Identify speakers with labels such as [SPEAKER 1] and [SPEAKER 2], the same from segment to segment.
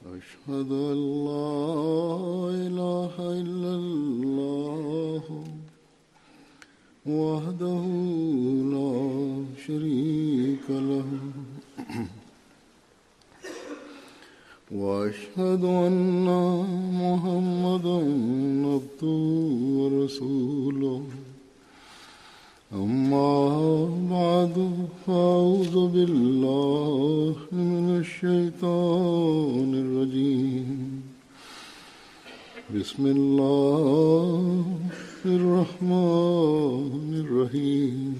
[SPEAKER 1] أشهد أن لا إله إلا الله وحده لا شريك له وأشهد أن محمدا عبده ورسوله. أما بعد، فأعوذ بالله من الشيطان الرجيم. بسم الله الرحمن الرحيم.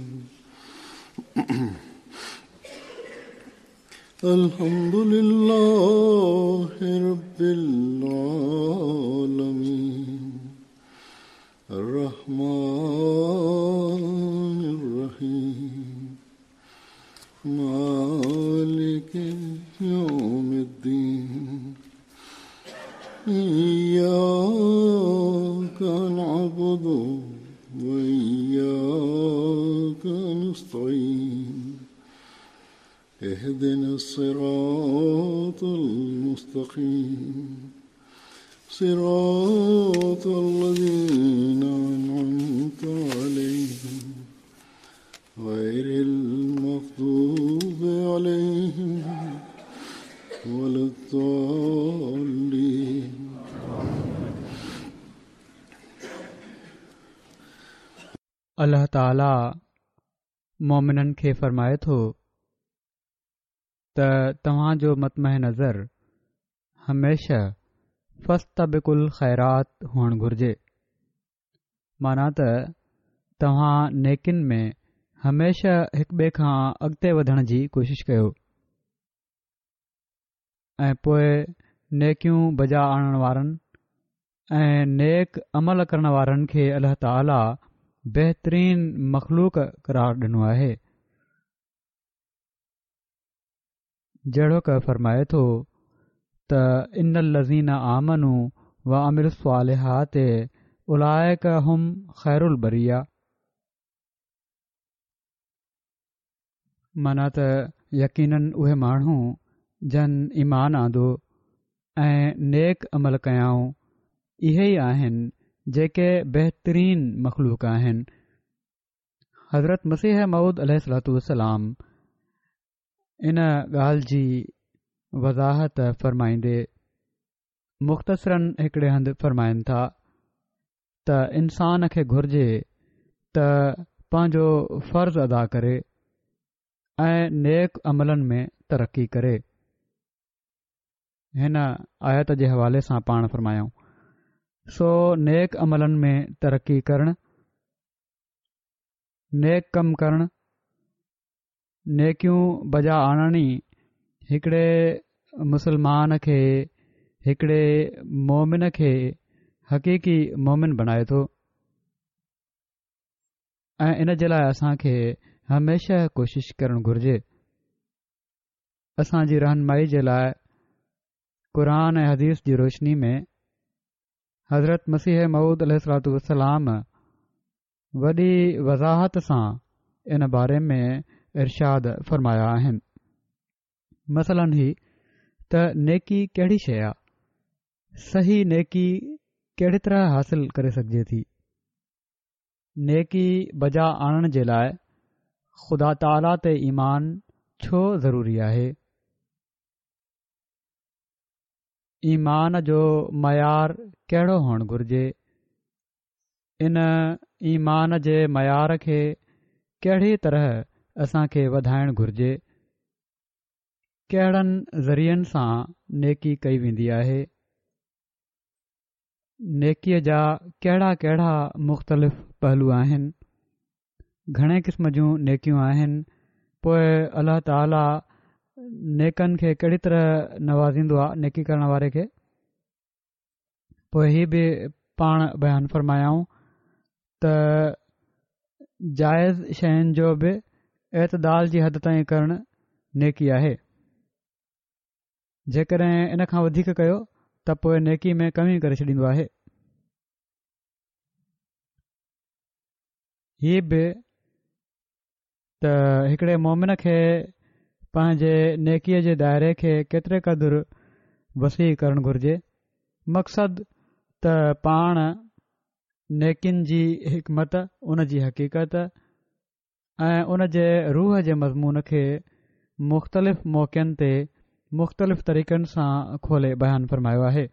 [SPEAKER 1] الحمد لله رب العالمين الرحمن الرحيم مالك يوم الدين. إياك نعبد وإياك نستعين. اهدنا الصراط المستقيم، صراط الذين أنعمت عليهم غير المغضوب عليهم ولا الضالين.
[SPEAKER 2] الله تعاليٰ مؤمنن کي فرمائي ٿو ته توهان جو مطمح نظر هميشه فاستبقوا الخيرات هئڻ گهرجي، معنيٰ ته توهان نيڪين ۾ هميشه هڪ ٻئي کان اڳتي وڌڻ جي ڪوشش ڪيو ۽ پوء نيڪيون بجا آڻڻ وارن ۽ نيڪ عمل ڪرڻ وارن کي الله تعاليٰ بهترين مخلوق قرار ڏنو آهي. جهڙوڪ فرمائي ٿو ته ان الذين آمنوا وعملوا الصالحات اولئڪ هم خير البريه، معنيٰ ته يقيناً اهي ماڻهو جن ايمان آندو ۽ نيڪ عمل ڪيائون اهي ئي آهن جيڪي بهترين مخلوق آهن. حضرت مسيح موعود عليه الصلوة والسلام ان ڳالهه جي وضاحت فرمائيندي مختصراً هڪڙي هنڌ فرمائن ٿا ته انسان کي گهرجي ته پنهنجو فرض ادا ڪري ۽ نيڪ عملن ۾ ترقي ڪري. هن آيت جي حوالي سان پاڻ فرمايائون، سو نيڪ عملن ۾ ترقي ڪرڻ، نيڪ ڪم ڪرڻ، نيڪيون بجا آڻڻ ئي هڪڙي مسلمان کي، هڪڙي مومن کي حقيقي مومن بڻائي ٿو ۽ ان جي لاء اسان کي هميشه ڪوشش ڪرڻ گهرجي. اسان جي رهنمائي جي لاء قرآن ۽ حديث جي روشني ۾ حضرت مسيح موعود عليه الصلوة والسلام وڏي وضاحت سان ان باري ۾ ارشاد فرمايا آهن. مثلاً هي ته نيڪي ڪهڙي شيء آ؟ صحيح نيڪي ڪهڙي طرح حاصل ڪري سگهجي ٿي؟ نيڪي بجا آڻڻ جي لاء خدا تعاليٰ تي ايمان ڇو ضروري آهي؟ ايمان جو معيار ڪهڙو هئڻ گهرجي؟ ان ايمان جي معيار کي ڪهڙي طرح اسان کي وڌائڻ گهرجي؟ ڪهڙن ذريعن سان نيڪي ڪئي ويندي آهي؟ نيڪيء جا ڪهڙا ڪهڙا مختلف پهلو آهن؟ گهڻي قسم جون نيڪيون آهن، پوء الله تعاليٰ نيڪن کي ڪهڙي طرح نوازيندو آهي نيڪي ڪرڻ واري کي؟ پوء هي به پاڻ بيان فرمايائون ته جائز شين جو به اعتدال جي حد تائين ڪرڻ نيڪي آهي، جيڪڏهن ان کان وڌيڪ ڪيو ته پوء نيڪي ۾ ڪمي ڪري ڇڏيندو آهي. هي به ته هڪڙي مومن کي پنهنجي نيڪيء جي دائري کي ڪيتري قدر وسيع ڪرڻ گهرجي. مقصد ته پاڻ نيڪين جي حڪمت، ان جي حقيقت ۽ ان جي روح جي مضمون کي مختلف موقعن تي مختلف طريقن سان کولي بيان فرمايو آهي.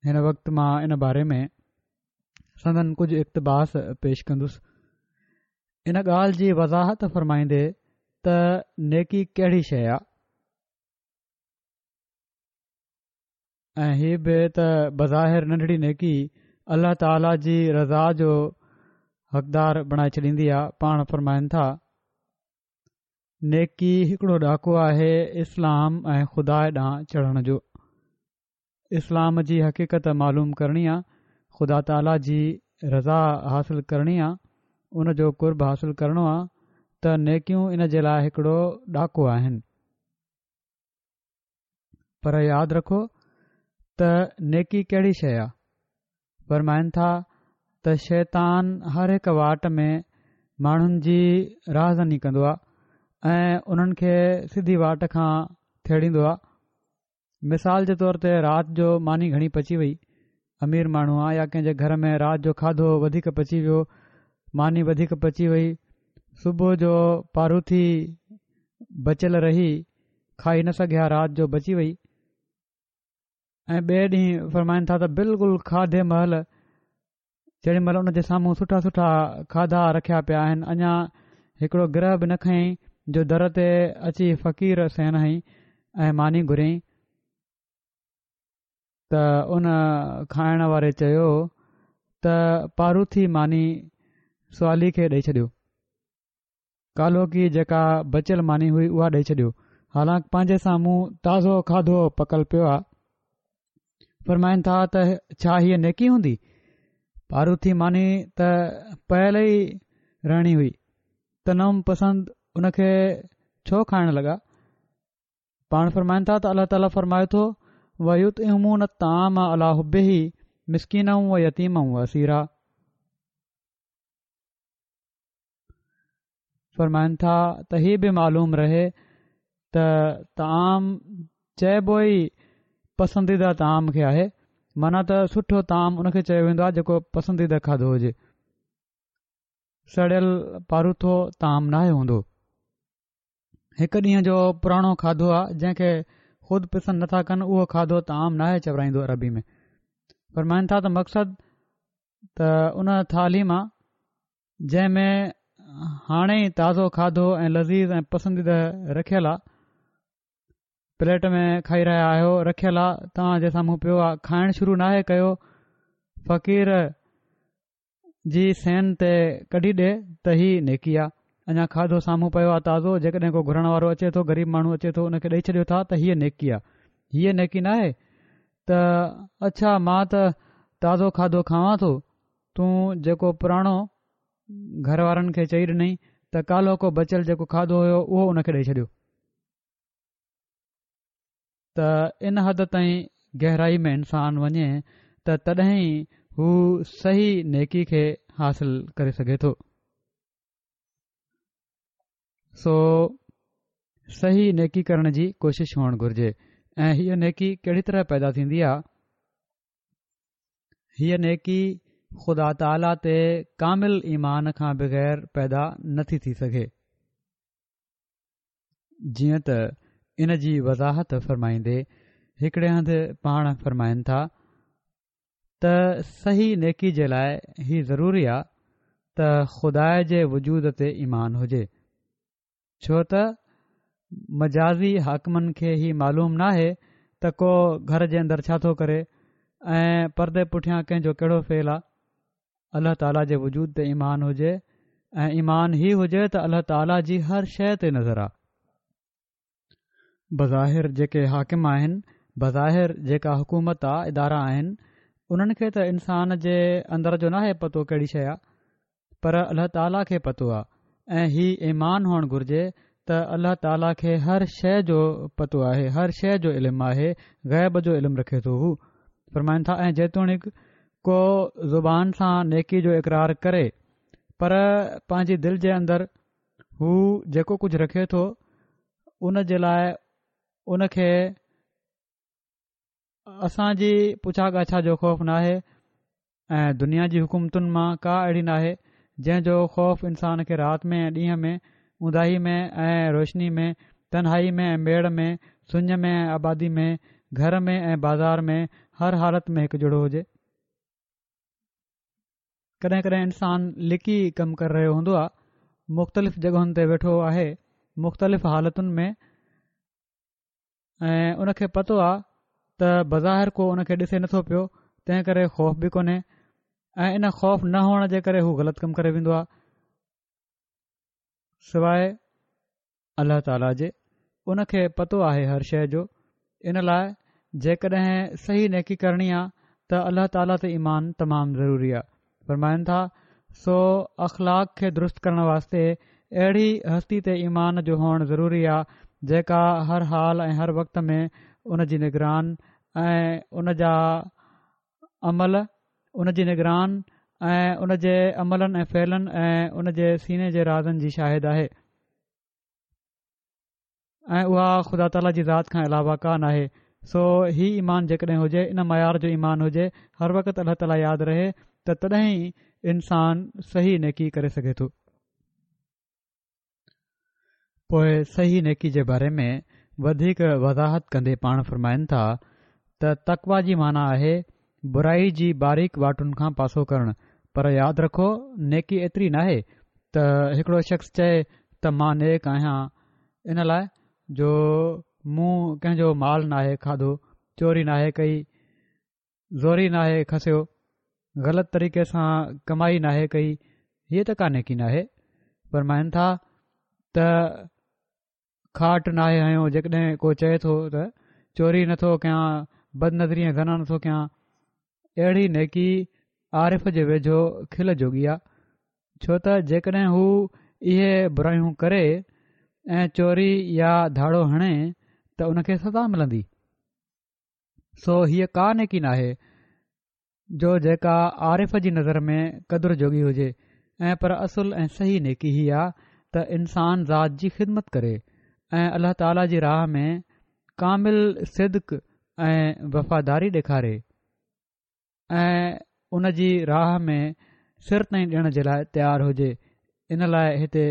[SPEAKER 2] هن وقت مان ان باري ۾ سندن ڪجهه اقتباس پيش ڪندس. ان ڳالهه جي وضاحت فرمائيندي ته نيڪي ڪهڙي شيء آ ۽ هي به ته بظاهر ننڍڙي نيڪي الله تعاليٰ جي رضا جو حقدار بڻائي ڇڏيندي آ. پاڻ فرمائن ٿا، نيڪي هڪڙو ڏاڪو آهي اسلام ۽ خدا ڏانهن چڙهڻ جو. اسلام جي حقيقت معلوم ڪرڻي آ، خدا تعاليٰ جي رضا حاصل ڪرڻي آ، ان جو قرب حاصل ڪرڻو آ ته نيڪيون ان جي لاء هڪڙو ڏاڪو آهن. پر ياد رکو ته نيڪي ڪهڙي شيء آ؟ فرمائن ٿا ته شيطان هر هڪ واٽ ۾ ماڻهن جي راهزني ڪندو آ ۽ انهن کي سڌي واٽ کان ٿيڙيندو آ. مثال جي طور تي رات جو ماني گهڻي پچي وئي، امير ماڻهو آ يا ڪنهن جي گهر ۾ رات جو کاڌو وڌيڪ پچي ويو، ماني وڌيڪ پچي وئي، صبح جو پاروٿي بچيل رهي، کائي نه سگهيا رات جو بچي وئي ۽ ٻئي ڏينهن فرمائن ٿا ته بلڪل کاڌي مهل جيڏي مهل ان جي سامهون سٺا سٺا کاڌا رکيا پيا آهن اڃا هڪڙو گرهه به نه کنيائين جو در تي اچي فقير سين هنئي ۽ ماني گهريائين ته ان کائڻ واري چيو ته پاروٿي ماني سوالي کي ڏئي ڇڏيو. ڪالهوڪي جيڪا بچيل ماني هئي اها ڏئي ڇڏيو حالانڪ پنهنجي سامهون تازو کاڌو پڪل پيو آ. فرمائن ٿا ته ڇا هيء نيڪي هوندي؟ پاروٿي ماني ته پيل ئي رهڻي هئي. تنعم پسند ان کي ڇو کائڻ لڳا؟ پاڻ فرمائن ٿا ته الله تعاليٰ فرمائي ٿو ويطعمون الطعام علي حبه مسڪينا ويتيما واسيرا فرمائن ٿا ته هي به معلوم رهي ته طعام چئبو ئي پسنديده طعام کي آهي معنيٰ ته سٺو طعام ان کي چيو ويندو آهي جيڪو پسنديده کاڌو هجي سڙيل پاروٿو طعام ناهي هوندو هڪ ڏينهن جو پراڻو کاڌو آهي جنهن کي خود پسند نٿا ڪن اهو کاڌو طعام ناهي چورائيندو عربي ۾ فرمائن ٿا ته مقصد ته ان ٿالهي مان جنهن ۾ هاڻي ئي تازو کاڌو ۽ لذيذ ۽ پسنديده رکيل آ پليٽ ۾ کائي رهيا آهيو رکيل آ توهان جي سامهون پيو آ کائڻ شروع ناهي ڪيو فقير جي سين تي ڪڍي ڏي ته هي نيڪي آ اڃا کاڌو سامهون پيو آ تازو جيڪڏهن ڪو گهرڻ وارو اچي ٿو غريب ماڻهو اچي ٿو ان کي ڏئي ڇڏيو ٿا ته هيء نيڪي آ هيء نيڪي ناهي ته اڇا مان ته تازو کاڌو کاوان ٿو تون جيڪو پراڻو گهر وارن کي چئي ڏنئي ته ڪالهوڪو بچيل جيڪو کاڌو هيو اهو ان کي ڏئي ڇڏيو ته ان حد تائين گهرائي ۾ انسان وڃي ته تڏهن ئي هو صحيح نيڪي کي حاصل ڪري سگهي ٿو. سو صحيح نيڪي ڪرڻ جي ڪوشش هئڻ گهرجي ۽ هيء نيڪي ڪهڙي طرح پيدا ٿيندي آهي؟ هيء نيڪي خدا تعاليٰ تي ڪامل ايمان کان بغير پيدا نٿي ٿي سگهي. جيئن ته ان جي وضاحت فرمائيندي هڪڙي هنڌ پاڻ فرمائن ٿا ته صحيح نيڪي جي لاء هي ضروري آ ته خدا جي وجود تي ايمان هجي. ڇو ته مجازي حاڪمن کي هي معلوم ناهي ته ڪو گهر جي اندر ڇا ٿو ڪري ۽ پردي پٺيان ڪنهن جو ڪهڙو فعل آ. الله تعاليٰ جي وجود تي ايمان هجي ۽ ايمان هي هجي ته الله تعاليٰ جي هر شيء تي نظر آ. بظاهر جيڪي حاڪم آهن، بظاهر جيڪا حڪومت آ، ادارا آهن، انهن کي ته انسان جي اندر جو ناهي پتو ڪهڙي شيء آ. پر الله تعاليٰ کي پتو آ ۽ هي ايمان هئڻ گهرجي ته الله تعاليٰ کي هر شيء جو پتو آهي، هر شيء جو علم آهي، غيب جو علم رکي ٿو. هو فرمائن ٿا ۽ جيتوڻيڪ ڪو زبان سان نيڪي جو اقرار ڪري پر پنهنجي دل جي اندر هو جيڪو ڪجهه رکي ٿو ان جي لاء ان کي. اسان جي پڇا ڳاڇا جو خوف ناهي ۽ دنيا جي حڪومتن مان ڪا اهڙي ناهي جنهن جو خوف انسان کي رات ۾ ۽ ڏينهن ۾ اونداهي ۾ ۽ روشني ۾ تنهائي ۾ ۽ ميڙ ۾ سڃ ۾ ۽ آبادي ۾ گهر ۾ ۽ بازار ۾ هر حالت ۾ هڪ جهڙو هجي. ڪڏهن ڪڏهن انسان لڪي ڪم ڪري رهيو هوندو آهي مختلف جڳهن تي ويٺو آهي مختلف حالتن ۾ ۽ ان کي پتو آ ته بظاهر ڪو ان کي ڏسي نٿو پيو تنهن ڪري خوف به ڪونهي ۽ ان خوف نه هئڻ جي ڪري هو غلط ڪم ڪري ويندو آ سواء الله تعاليٰ جي ان کي پتو آهي هر شيء جو ان لاء جيڪڏهن صحيح نيڪي ڪرڻي آ ته الله تعاليٰ تي ايمان تمام ضروري آ فرمائن ٿا، سو اخلاق کي درست ڪرڻ واسطي اهڙي هستي تي ايمان جو هئڻ ضروري آ جيڪا هر حال ۽ هر وقت ۾ ان جي نگران ۽ ان جا عمل ان جي نگران ۽ ان جي عملن ۽ فعلن ۽ ان جي سيني جي رازن جي شاهد آهي. ۽ اها خدا تعاليٰ جي ذات کان علاوه ڪا ناهي، سو هي ايمان جيڪڏهن هجي، ان معيار جو ايمان هجي، هر وقت الله تعاليٰ ياد رهي ته تڏهن ئي انسان صحيح نيڪي ڪري سگهي ٿو. پوء صحيح نيڪي جي باري ۾ وڌيڪ وضاحت ڪندي پاڻ فرمائن ٿا ته تقويٰ جي معنيٰ آهي برائي جي باريڪ واٽن کان پاسو ڪرڻ، پر ياد رکو نيڪي ايتري ناهي ته هڪڙو شخص چئي ته مان نيڪ آهيان ان لاء جو مون ڪنهن جو مال ناهي کاڌو، چوري ناهي ڪئي، زوري ناهي کسيو، غلط طريقي سان ڪمائي ناهي ڪئي، هيء ته ڪا نيڪي ناهي. فرمائن ٿا ته کاٽ ناهي هنيو جيڪڏهن ڪو چئي ٿو ته چوري نٿو ڪيان بد نظري ۽ زنا نٿو ڪيان اهڙي نيڪي عارف جي ويجهو کل جوڳي آ ڇو ته جيڪڏهن هو اهي برايون ڪري ۽ چوري يا ڌاڙو هڻي ته ان کي سزا ملندي سو هيء ڪا نيڪي ناهي جو جيڪا عارف جي نظر ۾ قدر جوڳي هجي ۽ پر اصل ۽ صحيح نيڪي هي آ ته انسان ذات جي خدمت ڪري ۽ الله تعاليٰ جي راهه ۾ ڪامل صدق ۽ وفاداري ڏيکاري ۽ ان جي راهه ۾ سر تائين ڏيڻ جي لاء تيار هجي ان لاء هتي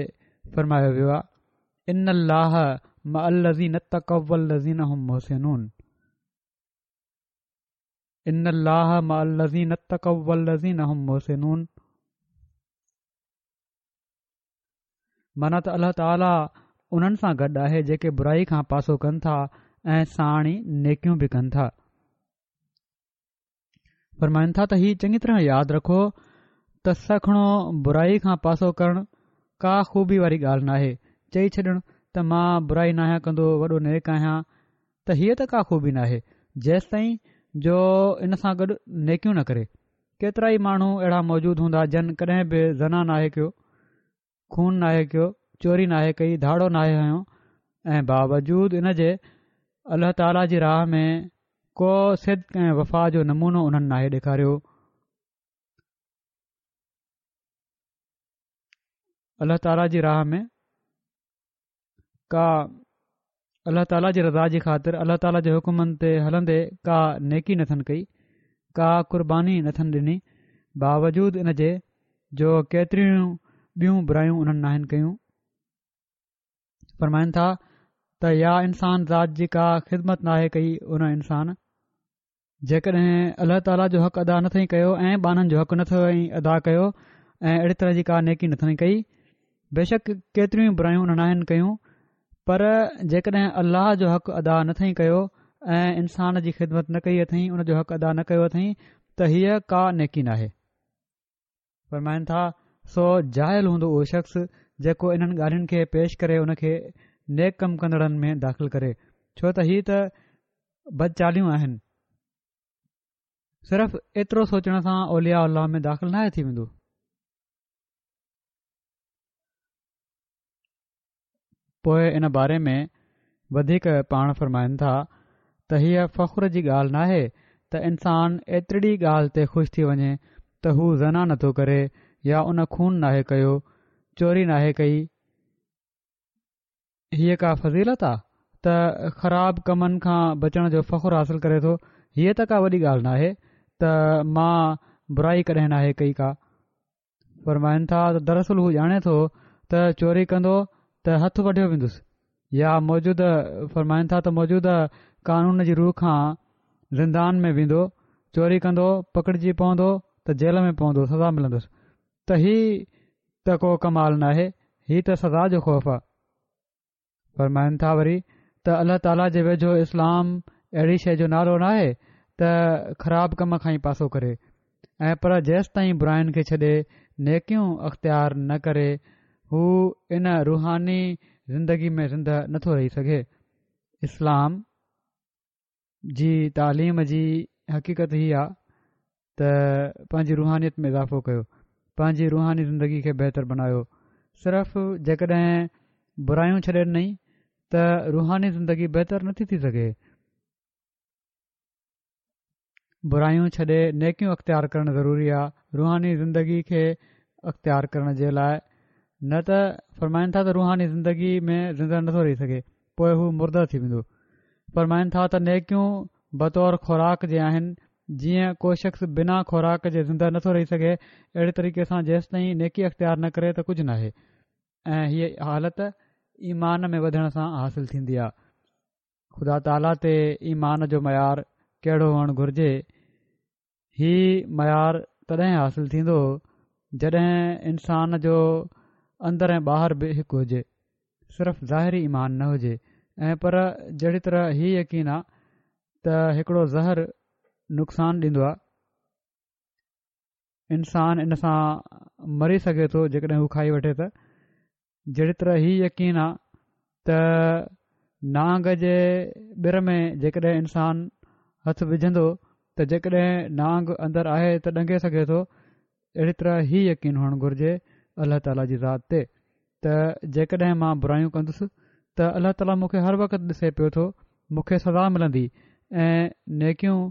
[SPEAKER 2] فرمايو ويو آ ان الله مع الذين اتقوا والذين هم محسنون ان الله مع الذين اتقوا والذين هم محسنون معنيٰ ته الله تعاليٰ انهن سان گڏ آهي جيڪي برائي کان پاسو ڪن ٿا ۽ ساڻ ئي نيڪيون به ڪن ٿا فرمائن ٿا ته هي چڱي طرح ياد رکو ته سکڻو برائي کان پاسو ڪرڻ ڪا خوبي واري ڳالهه ناهي چئي ڇڏڻ ته مان برائي ناهيان ڪندو وڏو نيڪ آهيان ته هيء ته ڪا خوبي ناهي، جيستائين جو ان سان گڏ نيڪيون نه ڪري. ڪيترائي ماڻهو اهڙا موجود هوندا جن ڪڏهن به زنا ناهي ڪيو، خون ناهي ڪيو، چوري ناهي ڪئي، ڌاڙو ناهي هنيو ۽ باوجود ان جي الله تعاليٰ جي راهه ۾ ڪو صدق ۽ وفا جو نمونو انهن ناهي ڏيکاريو. الله تعاليٰ جي راهه ۾ ڪا الله تعاليٰ جي رضا جي خاطر الله تعاليٰ جي حڪمن تي هلندي ڪا نيڪي نٿن ڪئي ڪا قرباني نٿن ڏني باوجود ان جي جو ڪيتريون ٻيون برايون انهن ناهن ڪيون فرمائن ٿا ته يا انسان ذات جي ڪا خدمت ناهي ڪئي ان انسان جيڪڏهن الله تعاليٰ جو حق ادا نٿئي ڪيو ۽ ٻانهن جو حق نٿئي ادا ڪيو ۽ اهڙي طرح جي ڪا نيڪي نٿئي ڪئي بيشڪ ڪيتريون ئي برايون انهن ناهن ڪيون پر جيڪڏهن الله جو حق ادا نٿئي ڪيو ۽ انسان جي خدمت نه ڪئي اٿئي ان جو حق ادا نه ڪيو اٿئي ته هيء ڪا نيڪي ناهي فرمائن ٿا سو جاهل هوندو اهو شخص جيڪو انهن ڳالهين کي پيش ڪري ان کي نيڪ ڪم ڪندڙن ۾ داخل ڪري ڇو ته هي ته بدچاليون آهن صرف ايترو سوچڻ سان اولياء الله ۾ داخل ناهي ٿي ويندو پوء ان باري ۾ وڌيڪ پاڻ فرمائن ٿا ته هيء فخر جي ڳالهه ناهي ته انسان ايترڙي ڳالهه تي خوش ٿي وڃي ته هو زنا نٿو ڪري يا ان خون ناهي ڪيو، چوري ناهي ڪئي، هيء ڪا فضيلت آ ته خراب ڪمن کان بچڻ جو فخر حاصل ڪري ٿو، هيء ته ڪا وڏي ڳالهه ناهي ته مان برائي ڪڏهن ناهي ڪئي ڪا. فرمائن ٿا ته دراصل هو ڄاڻي ٿو ته چوري ڪندو ته هٿ وڍيو ويندس يا موجوده فرمائن ٿا ته موجوده قانون جي رو کان زندان ۾ ويندو، چوري ڪندو پڪڙجي پوندو ته جيل ۾ پوندو سزا ملندس ته هي ته ڪو ڪمال ناهي هي ته سزا جو خوف آ. فرمائن ٿا وري ته الله تعاليٰ جي ويجهو اسلام اهڙي شيء جو نالو ناهي ته خراب ڪم کان ئي پاسو ڪري ۽ پر جيستائين براين کي ڇڏي نيڪيون اختيار نه ڪري هو ان روحاني زندگي ۾ زنده نٿو رهي سگهي. اسلام جي تعليم جي حقيقت هي آ ته پنهنجي روحانيت ۾ اضافو ڪيو، پنهنجي روحاني زندگي کي بهتر بنايو. صرف جيڪڏهن برايون ڇڏي ڏنئي ته روحاني زندگي بهتر نٿي ٿي سگهي. برايون ڇڏي نيڪيون اختيار ڪرڻ ضروري آ روحاني زندگي کي اختيار ڪرڻ جي لاء نه ته فرمائن ٿا ته روحاني زندگي ۾ زنده نٿو رهي سگهي پوء هو مرده ٿي ويندو فرمائن ٿا ته نيڪيون بطور خوراڪ جي آهن جيئن ڪو شخص بنا خوراڪ جي زنده نٿو رهي سگهي اهڙي طريقي سان جيستائين نيڪي اختيار نه ڪري ته ڪجهه ناهي ۽ هيء حالت ايمان ۾ وڌڻ سان حاصل ٿيندي آ خدا تعاليٰ تي ايمان جو معيار ڪهڙو هئڻ گهرجي؟ هي معيار تڏهن حاصل ٿيندو جڏهن انسان جو اندر ۽ ٻاهر به هڪ هجي، صرف ظاهري ايمان نه هجي ۽ پر جهڙي طرح هي يقين آ ته هڪڙو زهر نقصان ڏيندو آ، انسان ان سان مري سگهي ٿو جيڪڏهن هو کائي وٺي ته جهڙي طرح هي يقين آ ته نانگ جي ٻر ۾ جيڪڏهن انسان هٿ وجهندو ته جيڪڏهن نانگ اندر آهي ته ڏنگي سگهي ٿو اهڙي طرح هي يقين هئڻ گهرجي الله تعاليٰ جي ذات تي ته جيڪڏهن مان برايون ڪندس ته الله تعاليٰ مون کي هر وقت ڏسي پيو ٿو مون کي سزا ملندي ۽ نيڪيون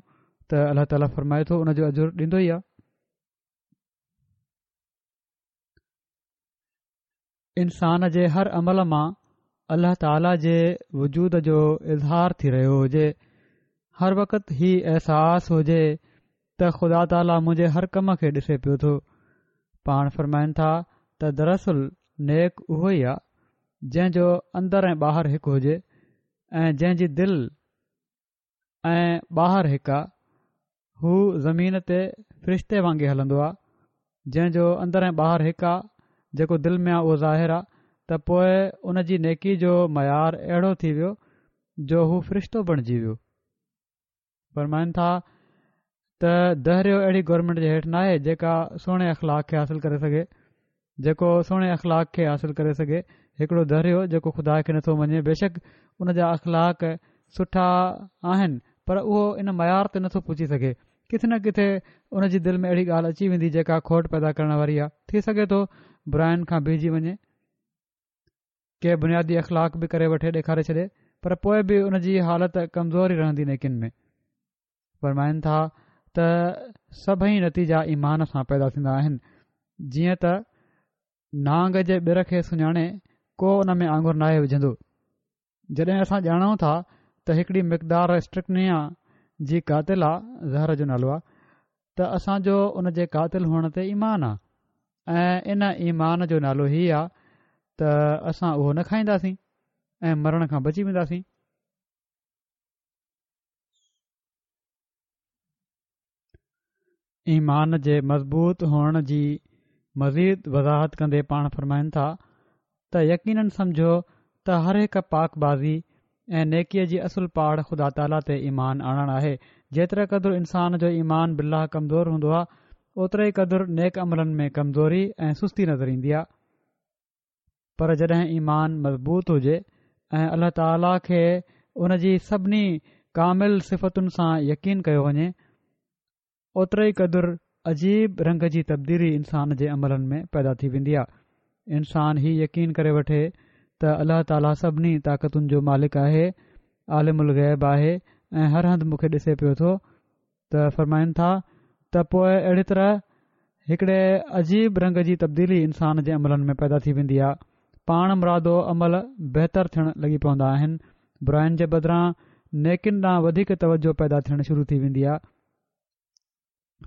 [SPEAKER 2] ته الله تعاليٰ فرمائي ٿو ان جو اجر ڏيندو ئي آ. انسان جي هر عمل مان الله تعاليٰ جي وجود جو اظهار ٿي رهيو هجي، هر وقت هي احساس هجي ته خدا تعاليٰ منهنجي هر ڪم کي ڏسي پيو ٿو. پاڻ فرمائن ٿا ته دراصل نيڪ اهو ئي آ جنهن جو اندر ۽ ٻاهر هڪ هجي ۽ جنهن جي دل ۽ ٻاهر هڪ آ، هو زمين تي فرشتي وانگي هلندو آ، جنهن جو اندر ۽ ٻاهر هڪ آ، جيڪو دل ۾ آ اهو ظاهر آ، ته پوء ان جي نيڪي جو معيار اهڙو ٿي ويو جو هو فرشتو بڻجي ويو. فرمائن ٿا ته دهريو اهڙي گورنمينٽ جي هيٺ ناهي جيڪا سهڻي اخلاق کي حاصل ڪري سگهي. جيڪو سهڻي اخلاق کي حاصل ڪري سگهي، هڪڙو دهريو جيڪو خدا کي نٿو مڃي بيشڪ ان جا اخلاق سٺا آهن پر اهو ان معيار تي نٿو پهچي سگهي، ڪٿي نه ڪٿي ان جي دل ۾ اهڙي ڳالهه اچي ويندي جيڪا کوٽ پيدا ڪرڻ واري آهي، ٿي سگهي ٿو براين کان بيهجي وڃي، ڪي بنيادي اخلاق به ڪري وٺي ڏيکاري ڇڏي پر پوء به ان جي حالت ڪمزور ئي رهندي نيڪين ۾. فرمائن ٿا ته سڀئي نتيجا ايمان سان پيدا ٿيندا آهن جيئن ته نانگ جي ٻر کي سڃاڻي ڪو ان ۾ آڱر ناهي وجهندو جڏهن اسان ڄاڻون ٿا ته هڪڙي مقدار اسٽرڪنيا جي قاتل آ زهر جو نالو آ ته اسان جو ان جي قاتل هئڻ تي ايمان آ ۽ ان ايمان جو نالو هي آ ته اسان اهو نه کائينداسين ۽ مرڻ کان بچي وينداسين ايمان جي مضبوط هئڻ جي مزيد وضاحت ڪندي پاڻ فرمائن ٿا ته يقيناً سمجهو ته هر هڪ پاڪ بازي ۽ نيڪيء جي اصل پاڙ خدا تعاليٰ تي ايمان آڻڻ آهي جيتري قدر انسان جو ايمان بالله ڪمزور هوندو آهي اوتري ئي قدر نيڪ عملن ۾ ڪمزوري ۽ سستي نظر ايندي آهي. پر جڏهن ايمان مضبوط هجي ۽ الله تعاليٰ کي ان جي سڀني ڪامل صفتن سان يقين ڪيو وڃي، اوتري ئي قدر عجيب رنگ جي تبديلي انسان جي عملن ۾ پيدا ٿي ويندي آهي. انسان هي يقين ڪري وٺي ته الله تعاليٰ سڀني طاقتن جو مالڪ آهي، عالم الغيب آهي ۽ هر هنڌ مون کي ڏسي پيو ٿو، ته فرمائن ٿا ته پوء اهڙي طرح هڪڙي عجيب رنگ جي تبديلي انسان جي عملن ۾ پيدا ٿي ويندي آهي پاڻ مرادو عمل بهتر ٿيڻ لڳي پوندا آهن. براين جي بدران نيڪين ڏانهن وڌيڪ توجه پيدا ٿيڻ شروع ٿي ويندي آهي.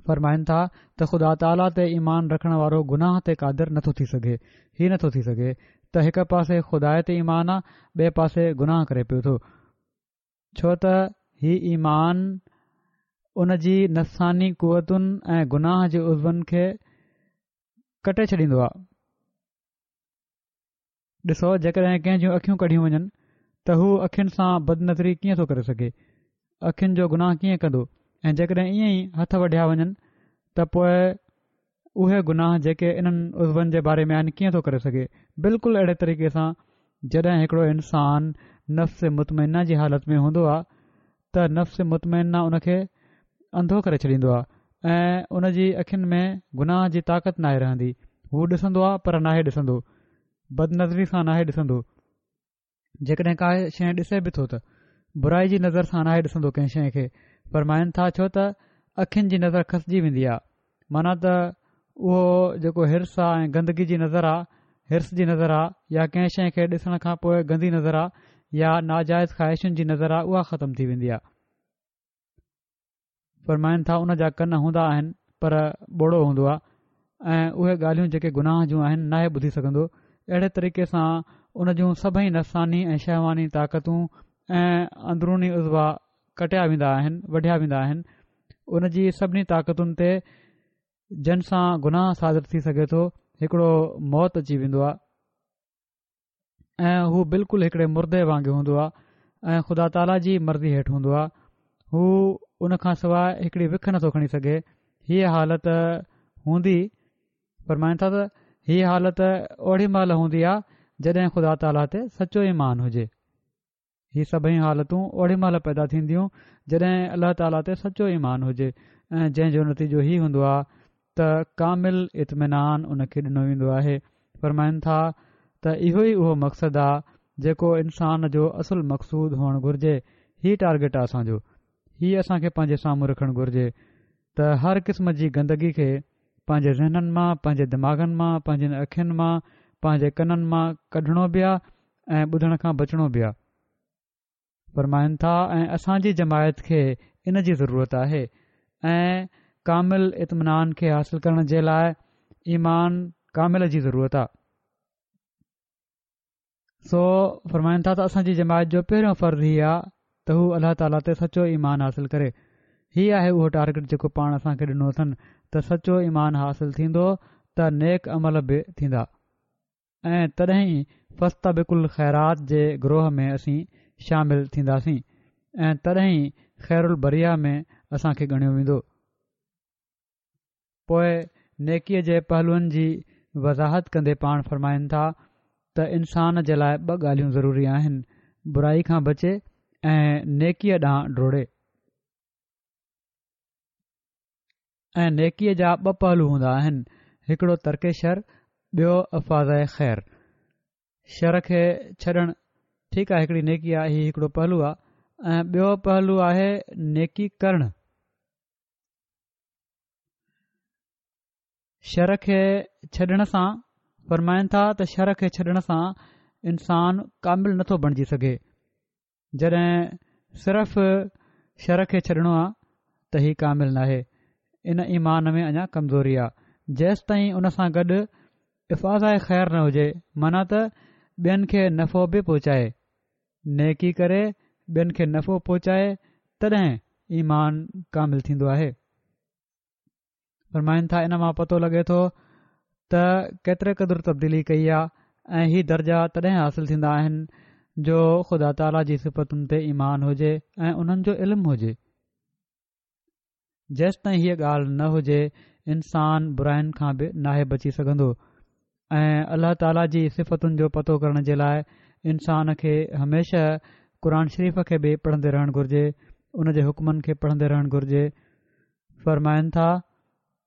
[SPEAKER 2] فرمائن ٿا ته خدا تعاليٰ تي ايمان رکڻ وارو گناهه تي قادر نٿو ٿي سگهي. هي نٿو ٿي سگهي ته هڪ پاسي خدا تي ايمان آ ٻئي پاسي گناهه ڪري پيو ٿو. ڇو ته هي ايمان ان جي نفساني قوتن ۽ گناهه جي عضون کي ڪٽي ڇڏيندو آهي. ڏسو جيڪڏهن ڪنهن جون اکيون ڪڍيون وڃن ته هو اکين سان بدنظري ڪيئن ٿو ڪري سگهي؟ اکين جو گناهه ڪيئن ڪندو؟ ۽ جيڪڏهن ائين ئي هٿ وڍيا وڃن ته پوء اهي گناهه جيڪي انهن عضون جي باري ۾ آهن ڪيئن ٿو ڪري سگهي؟ بلڪل اهڙي طريقي سان جڏهن هڪڙو انسان نفس مطمئنه جي حالت ۾ هوندو آهي ته نفس مطمئنه ان کي انڌو ڪري ڇڏيندو آهي ۽ ان جي اکين ۾ گناهه جي طاقت ناهي رهندي هو ڏسندو آهي پر ناهي ڏسندو بدنظري سان ناهي ڏسندو جيڪڏهن ڪا شيء ڏسي به ٿو ته برائي جي نظر سان ناهي ڏسندو ڪنهن شيء کي فرمائن ٿا ڇو ته اکين جي نظر کسجي ويندي آهي معنيٰ ته اهو جيڪو حرص آ ۽ گندگي جي نظر آ حرص جي نظر آ يا ڪنهن شيء کي ڏسڻ کان پوء گندي نظر آ يا ناجائز خواهشن جي نظر آ اها ختم ٿي ويندي آ فرمائن ٿا ان جا ڪن هوندا آهن پر ٻوڙو هوندو آهي ۽ اهي ڳالهيون جيڪي گناهه جون آهن ناهي ٻڌي سگهندو اهڙي طريقي سان ان جون سڀئي نفساني ۽ شهواني طاقتون ۽ اندروني عضوا ڪٽيا ويندا آهن وڍيا ويندا آهن ان جي سڀني طاقتن تي جن سان گناهه صادر ٿي سگهي ٿو هڪڙو موت اچي ويندو آهي ۽ هو بلڪل هڪڙي مردي وانگي هوندو آهي ۽ خدا تعاليٰ جي مرضي هيٺ هوندو آهي هو ان کان سواء هڪڙي وک نٿو کڻي سگهي هيء حالت هوندي فرمائن ٿا ته هيء حالت اوڙي مهل هوندي آهي جڏهن خدا تعاليٰ تي سچو ايمان هجي هي سڀئي حالتون اوڙي مهل پيدا ٿينديون جڏهن الله تعاليٰ تي سچو ايمان هجي ۽ جنهن جو نتيجو هي هوندو آهي ته ڪامل اطمينان ان کي ڏنو ويندو آهي. فرمائن ٿا ته اهو ئي اهو مقصد آ جيڪو انسان جو اصل مقصود هئڻ گهرجي، هي ٽارگيٽ آ اسان جو، هي اسان کي پنهنجي سامهون رکڻ گهرجي ته هر قسم جي گندگي کي پنهنجي ذهنن مان، پنهنجي دماغن مان، پنهنجين اکين مان، پنهنجي ڪنن مان ڪڍڻو به آ ۽ ٻڌڻ کان بچڻو به آ. فرمائن ٿا ۽ اسان جي جماعت کي ان جي ضرورت آهي ۽ ڪامل اطمينان کي حاصل ڪرڻ جي لاء ايمان ڪامل جي ضرورت آ. سو فرمائن ٿا ته اسان جي جماعت جو پهريون فرض هي آ ته هو الله تعاليٰ تي سچو ايمان حاصل ڪري. هي آهي اهو ٽارگيٽ جيڪو پاڻ اسان کي ڏنو اٿن ته سچو ايمان حاصل ٿيندو ته نيڪ عمل به ٿيندا. ۽ تڏهن ئي فاستبقوا الخيرات جي گروهه ۾ اسين شامل ٿينداسين ۽ تڏهن ئي خير البريه ۾ اسان کي ڳڻيو ويندو. پوء نيڪيء جي پهلوئن جي وضاحت ڪندي پاڻ فرمائن ٿا ته انسان جي لاء ٻه ڳالهيون ضروري آهن، برائي کان بچي ۽ نيڪيء ڏانهن ڊوڙي. ۽ نيڪيء جا ٻه پهلو هوندا آهن، هڪڙو ترڪ شر، ٻيو افاضه خير. شر کي ڇڏڻ ٺيڪ آهي هڪڙي نيڪي آهي هي هڪڙو پهلو آهي ۽ ٻيو پهلو آهي نيڪي ڪرڻ. شر کي ڇڏڻ سان فرمائن ٿا ته شر کي ڇڏڻ سان انسان ڪامل نٿو بڻجي سگهي. جڏهن صرف شر کي ڇڏڻو آ ته هي ڪامل ناهي، ان ايمان ۾ اڃا ڪمزوري آ، جيستائين ان سان گڏ افاضه خير نه هجي معنيٰ ته ٻين کي نفعو به پهچائي، نيڪي ڪري ٻين کي نفعو پهچائي تڏهن ايمان ڪامل ٿيندو آهي. فرمائن ٿا ان مان پتو لڳي ٿو ته ڪيتري قدر تبديلي ڪئي آ ۽ هي درجا تڏهن حاصل ٿيندا آهن جو خدا تعاليٰ جي صفتن تي ايمان هجي ۽ انهن جو علم هجي جيستائين هيء ڳالهه نه هجي انسان براين کان به ناهي بچي سگهندو ۽ الله تعاليٰ جي صفتن جو پتو ڪرڻ جي لاء انسان کي هميشه قرآن شريف کي به پڙهندي رهڻ گهرجي ان جي حڪمن کي پڙهندي رهڻ گهرجي فرمائن ٿا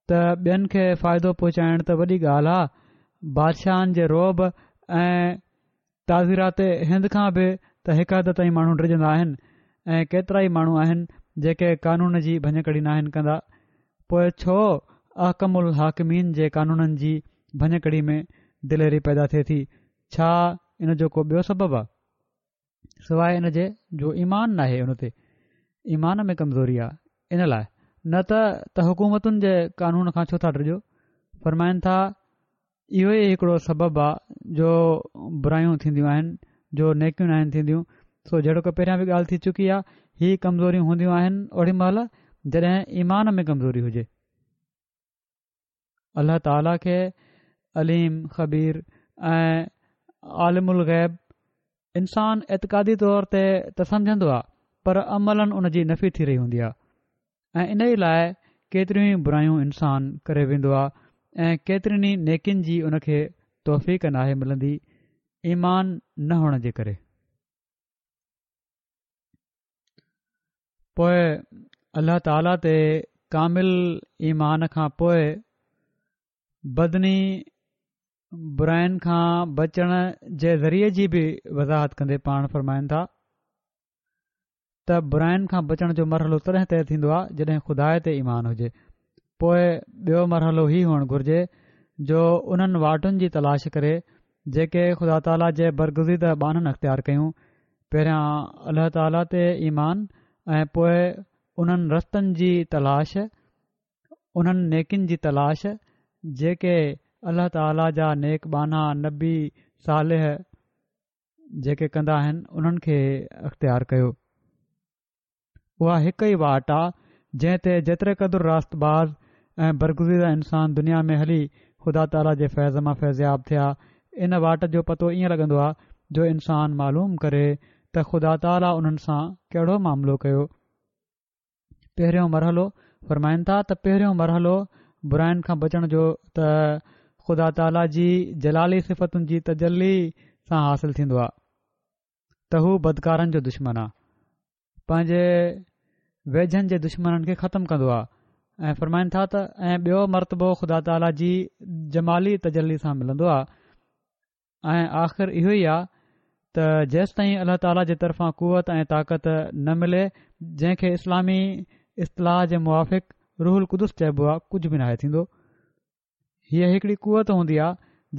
[SPEAKER 2] ته ٻين کي فائدو پهچائڻ ته وڏي ڳالهه آ بادشاهن جي رعب ۽ تعزيرات هند کان به ته هڪ حد تائين ماڻهو ڊڄندا آهن ۽ ڪيترائي ماڻهو آهن جيڪي قانون جي ڀڃڪڙي ناهن ڪندا پوء ڇو احڪم الحاڪمين جي قانونن جي ڀڃڪڙي ۾ دليري پيدا ٿئي ٿي ڇا ان جو ڪو ٻيو سبب آ؟ سواء ان جي جو ايمان ناهي ان تي، ايمان ۾ ڪمزوري آ ان لاء، نه ته ته حڪومتن جي قانون کان ڇو ٿا ڊڄو؟ فرمائن ٿا اهو ئي هڪڙو سبب آ جو برايون ٿينديون آهن، جو نيڪيون ناهن ٿينديون، سو جهڙوڪ پهريان به ڳالهه ٿي چڪي آ، هي ڪمزوريون هونديون آهن اوڏي مهل جڏهن ايمان ۾ ڪمزوري هجي. الله تعاليٰ کي عليم، خبير ۽ عالم الغيب انسان اعتقادي طور تي ته سمجهندو آ پر عملاً ان جي نفي ٿي رهي هوندي آ ۽ انهي لاء ڪيتريون ئي برايون انسان ڪري ويندو آ ۽ ڪيترين ئي نيڪين جي ان کي توفيق ناهي ملندي ايمان نه هئڻ جي ڪري. پوء الله تعاليٰ تي ڪامل ايمان کان پوء بدني براين کان بچڻ جي ذريعي جي به وضاحت ڪندي پاڻ فرمائن ٿا ته براين کان بچڻ جو مرحلو تڏهن طئي ٿيندو آهي جڏهن خدا تي ايمان هجي پوء ٻيو مرحلو هي هئڻ گهرجي جو انهن واٽن جي تلاش ڪري جيڪي خدا تعاليٰ جي برگزيده ٻانهن اختيار ڪيون پهريان الله تعاليٰ تي ايمان ۽ پوء انهن رستن جي تلاش انهن نيڪين جي تلاش جيڪي الله تعاليٰ جا نيڪ ٻانها نبي صالح جيڪي ڪندا آهن انهن کي اختيار ڪيو. اها هڪ ئي واٽ آ جنهن تي جيتري قدر راست باز ۽ برگزيده انسان دنيا ۾ هلي خدا تعاليٰ جي فيض مان فيضياب ٿيا ان واٽ جو پتو ائين لڳندو آ جو انسان معلوم ڪري ته خدا تعاليٰ انهن سان ڪهڙو معاملو ڪيو. پهريون مرحلو، فرمائن ٿا ته پهريون مرحلو براين کان بچڻ جو ته خدا تعاليٰ جي جلالي صفتن جي تجلي سان حاصل ٿيندو آهي ته هو بدڪارن جو دشمن آهي پنهنجي ويجهن جي دشمنن کي ختم ڪندو آهي ۽ فرمائن ٿا ته ۽ ٻيو مرتبو خدا تعاليٰ جي جمالي تجلي سان ملندو آهي ۽ آخر اهو ئي آ ته جيستائين الله تعاليٰ جي طرفان قوت ۽ طاقت نه ملي جنهن کي اسلامي اصطلاح جي موافق روح القدس چئبو آ ڪجهه به ناهي ٿيندو. هيء هڪڙي قوت هوندي آ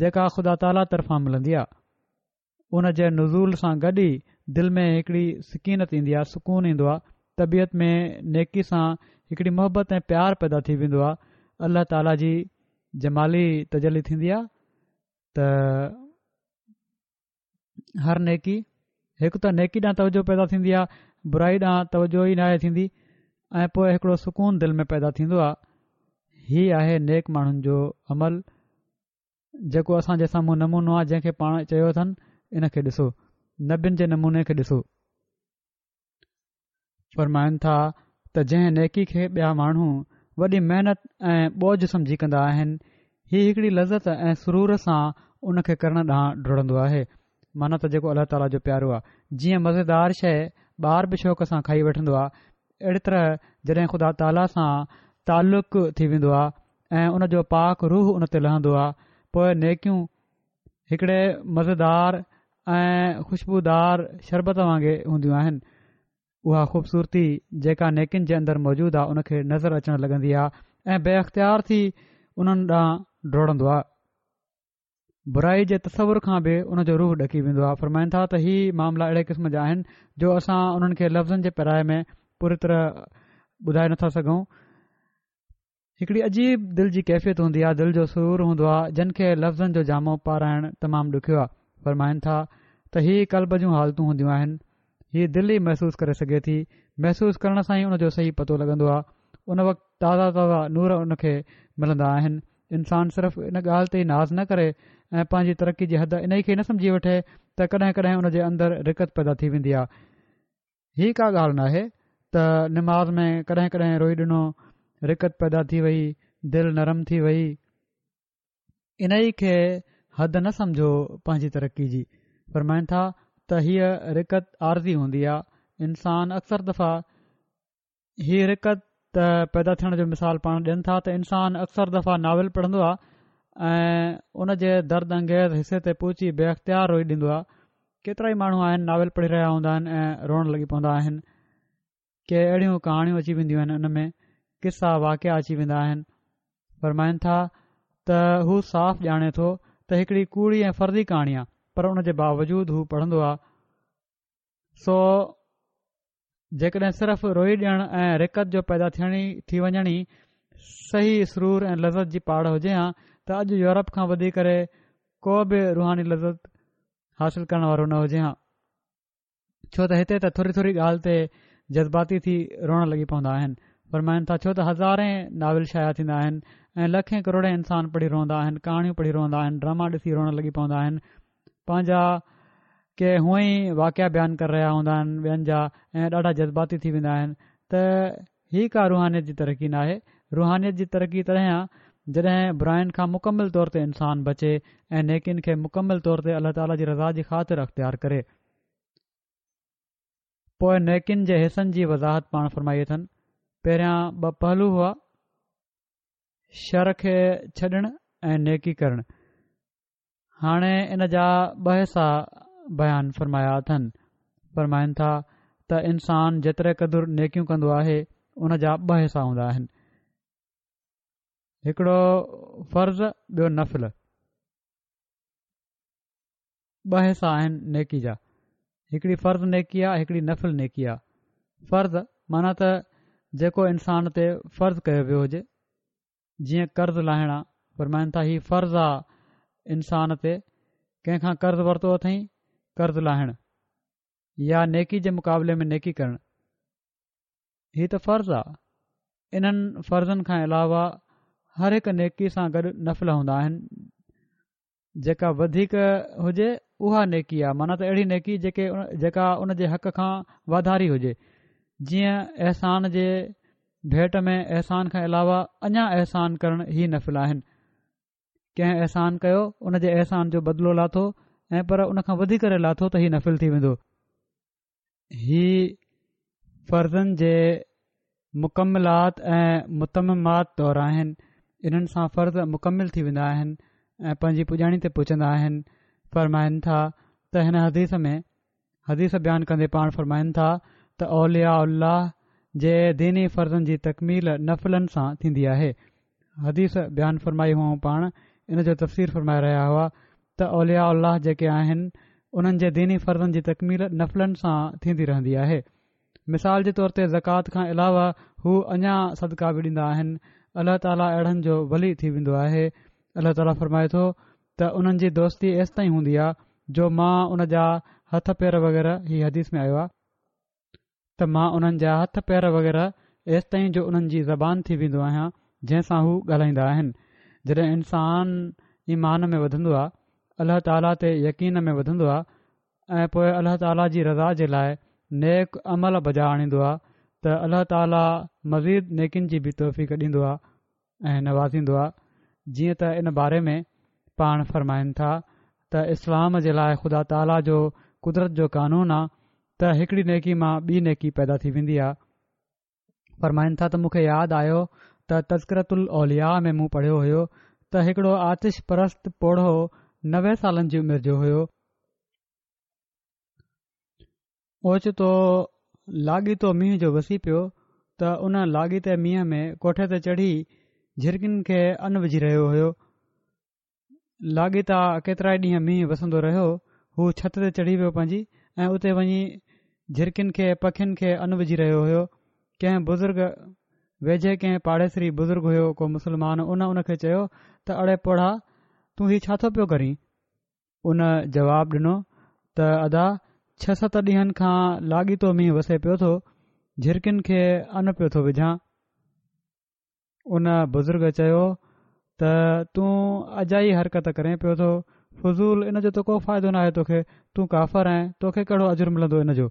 [SPEAKER 2] جيڪا خدا تعاليٰ طرفان ملندي آ. ان جي نزول سان گڏ ئي دل ۾ هڪڙي سڪينت ايندي آ، سڪون ايندو آ، طبيعت ۾ نيڪي سان هڪڙي محبت ۽ پيار پيدا ٿي ويندو آ، الله تعاليٰ جي جمالي تجلي ٿيندي آ ته هر نيڪي هڪ ته نيڪي ڏانهن توجه پيدا ٿيندي آهي برائي ڏانهن توجه ئي ناهي ٿيندي ۽ پوء هڪڙو سڪون دل ۾ پيدا ٿيندو آهي هي آهي نيڪ ماڻهن جو عمل جيڪو اسان جي سامهون نمونو آهي جنهن کي پاڻ چيو اٿن ان کي ڏسو نبين جي نموني کي ڏسو فرمائن ٿا ته جنهن نيڪي کي ٻيا ماڻهو وڏي محنت ۽ ٻوجهه سمجهي ڪندا آهن، هي هڪڙي لذت ۽ سرور سان ان کي ڪرڻ ڏانهن ڊوڙندو آهي. معنيٰ ته جيڪو الله تعاليٰ جو پيارو آهي. جيئن مزيدار شيء ٻار به شوق سان کائي وٺندو آهي، اهڙي طرح جڏهن خدا تعاليٰ سان تعلق ٿي ويندو آهي ۽ ان جو پاڪ روح ان تي لهندو آهي، پوء نيڪيون هڪڙي مزيدار ۽ خوشبودار شربت وانگي هونديون آهن. اها خوبصورتي جيڪا نيڪين جي اندر موجود آهي ان کي نظر اچڻ لڳندي آهي ۽ بي اختيار ٿي انهن ڏانهن ڊوڙندو آهي. برائي جي تصور کان به ان جو روح ڏڪي ويندو آهي. فرمائن ٿا ته هي معاملا اهڙي قسم جا آهن جو اسان انهن کي لفظن جي پيرائي ۾ پوري طرح ٻڌائي نٿا سگهون. هڪڙي عجيب دل جي ڪيفيت هوندي آهي، دل جو سرور هوندو آهي، جن کي لفظن جو جامو پارائڻ تمام ڏکيو آهي. فرمائن ٿا ته هي قلب جون حالتون هونديون آهن، هي دل ئي محسوس ڪري سگهي ٿي، محسوس ڪرڻ سان ئي ان جو صحيح پتو لڳندو آهي، ان وقت تازا تازا نور ان کي ملندا آهن. انسان صرف ان ڳالهه تي ئي ناز نه ڪري ۽ پنهنجي ترقي جي حد انهي کي نه سمجهي وٺي ته ڪڏهن ڪڏهن ان جي اندر رقت پيدا ٿي ويندي آهي، هي ڪا ڳالهه ناهي ته نماز ۾ ڪڏهن ڪڏهن روئي ڏنو، رقت پيدا ٿي وئي، دل نرم ٿي وئي. انهي کي حد نه سمجهو پنهنجي ترقي جي. فرمائن ٿا ته هيء رقت عارضي هوندي آ، انسان اڪثر دفعا هي رقت پيدا ٿيڻ جو مثال پاڻ ڏين ٿا ته انسان اڪثر دفعا ناول پڙهندو آهي ۽ ان جي درد انگيز حصي تي پهچي بي اختيار روئي ڏيندو آهي ڪيترا ئي ماڻهو آهن ناول پڙهي رهيا هوندا آهن ۽ روئڻ لڳي پوندا آهن ڪي اهڙيون ڪهاڻيون اچي وينديون آهن ان ۾ قصا واقعا اچي ويندا آهن فرمائن ٿا ته هو صاف ڄاڻي ٿو ته هڪڙي ڪوڙي ۽ فرضي ڪهاڻي آهي پر ان جي باوجود هو پڙهندو آهي. سو جيڪڏهن صرف روئي ڏيڻ ۽ رقت جو پيدا ٿيڻ ئي ٿي وڃڻ ئي صحيح سرور ۽ لذت جي پاڙ هجي ها ته اڄ يورپ کان وڌي ڪري ڪو به روحاني لذت حاصل ڪرڻ وارو نه هجي ها ڇو ته هتي ته ٿوري ٿوري ڳالهه تي جذباتي ٿي روئڻ لڳي پوندا آهن فرمائن ٿا ڇو ته هزارين ناول شايع ٿيندا آهن ۽ لکين ڪروڙين انسان پڙهي روئندا آهن ڪهاڻيون پڙهي روئندا آهن ڊراما ڏسي روئڻ لڳي پوندا آهن پنهنجا ڪي هونئن ئي واقعا بيان ڪري رهيا هوندا آهن ٻين جا ۽ ڏاڍا جذباتي ٿي ويندا آهن ته هي ڪا روحانيت جي ترقي ناهي. روحانيت جي ترقي تڏهن آ جڏهن براين کان مڪمل طور تي انسان بچي ۽ نيڪين کي مڪمل طور تي الله تعاليٰ جي رضا جي خاطر اختيار ڪري. پوء نيڪين جي حصن جي وضاحت پاڻ فرمائي اٿن. پهريان ٻه پهلو هئا، شر کي ڇڏڻ ۽ نيڪي ڪرڻ. هاڻي ان جا ٻه حصا بيان فرمايا اٿن. فرمائن ٿا ته انسان جيتري قدر نيڪيون ڪندو آهي ان جا ٻه حصا هوندا آهن. هڪڙو فرض ٻيو نفل. ٻه حصا آهن نيڪي جا. هڪڙي فرض نيڪي آ هڪڙي نفل نيڪي آ. فرض معنيٰ ته جيڪو انسان تي فرض ڪيو ويو هجي. جيئن قرض لاهڻ آ، فرمائن ٿا هي فرض آ انسان تي، ڪنهن کان قرض ورتو اٿئين، قرض لاهڻ يا نيڪي جي مقابلي ۾ نيڪي ڪرڻ، هي ته فرض آ. انهن فرضن کان علاوه هر هڪ نيڪي سان گڏ نفل هوندا آهن، جيڪا وڌيڪ هجي اها نيڪي آ معنيٰ ته اهڙي نيڪي جيڪي جيڪا ان جي حق کان واڌاري هجي جيئن احسان جي ڀيٽ ۾ احسان کان علاوه اڃا احسان ڪرڻ هي نفل آهن ڪنهن احسان ڪيو ان جي احسان جو بدلو لاٿو ۽ پر ان کان وڌي ڪري لاٿو ته هي نفل ٿي ويندو هي فرضن جي مڪملات ۽ متممات طور آهن، انهن سان فرض مڪمل ٿي ويندا آهن ۽ پنهنجي پڄاڻي تي پهچندا آهن. فرمائن ٿا ته هن حديث ۾ حديث بيان ڪندي پاڻ فرمائن ٿا ته اولياء الله جي ديني فرضن جي تڪميل نفلن سان ٿيندي آهي. حديث بيان فرمائي هئائون پاڻ ان جو تفسير فرمائي رهيا هئا ته اولياء الله جيڪي آهن انهن جي ديني فرضن جي تڪميل نفلن سان ٿيندي رهندي آهي مثال جي طور تي زڪوات کان علاوه هو اڃا صدقا به ڏيندا آهن الله تعاليٰ اهڙن جو ولي ٿي ويندو آهي الله تعاليٰ فرمائي ٿو ته انهن جي دوستي ايستائين هوندي آهي جو مان ان جا هٿ پير وغيره هي حديث ۾ آيو آهي ته مان انهن جا هٿ پير وغيره ايستائين جو انهن جي زبان ٿي ويندو آهيان جنهن سان هو ڳالهائيندا آهن. جڏهن انسان ايمان ۾ وڌندو آ، الله تعاليٰ تي يقين ۾ وڌندو آ ۽ پوء الله تعاليٰ جي رضا جي لاء نيڪ عمل بجا آڻيندو آ ته الله تعاليٰ مزيد نيڪين جي به توفيق ڏيندو آ. ۽ نوازيندو آ جيئن ته ان باري ۾ پاڻ فرمائن ٿا ته اسلام جي لاء خدا تعاليٰ جو قدرت جو قانون آ ته هڪڙي نيڪي مان ٻي نيڪي پيدا ٿي ويندي آ فرمائن ٿا ته مون کي ياد آيو ته تذڪرة الاولياء ۾ مون پڙهيو هيو ته هڪڙو آتش پرست پوڙهو 90 سالن جي عمر جو هيو اوچتو لاڳيتو مينهن جو وسي پيو ته ان لاڳيتي مينهن ۾ ڪوٺي تي چڙهي جهرڪين کي ان وجهي رهيو هيو. لاڳيتا ڪيترائي ڏينهن مينهن وسندو رهيو. هو ڇت تي چڙهي ويو پنهنجي ۽ اتي وڃي جهرڪين کي پکين کي ان وجهي رهيو هيو. ڪنهن بزرگ ويجهي ڪنهن پاڙيسري بزرگ هيو ڪو مسلمان ان ان کي چيو ته اڙي پوڙها تون هي ڇا ٿو پيو ڪرين؟ ان جواب ڏنو ته ادا ڇهه ست ڏينهن کان لاڳيتو مينهن وسي پيو ٿو، جهرڪين کي ان پيو ٿو وجهان. ان بزرگ چيو ته تون اجائي حرڪت ڪرين پيو ٿو، فضول ان جو ته ڪو فائدو ناهي توکي، تون ڪافر آهين، توکي ڪهڙو اجر ملندو ان جو،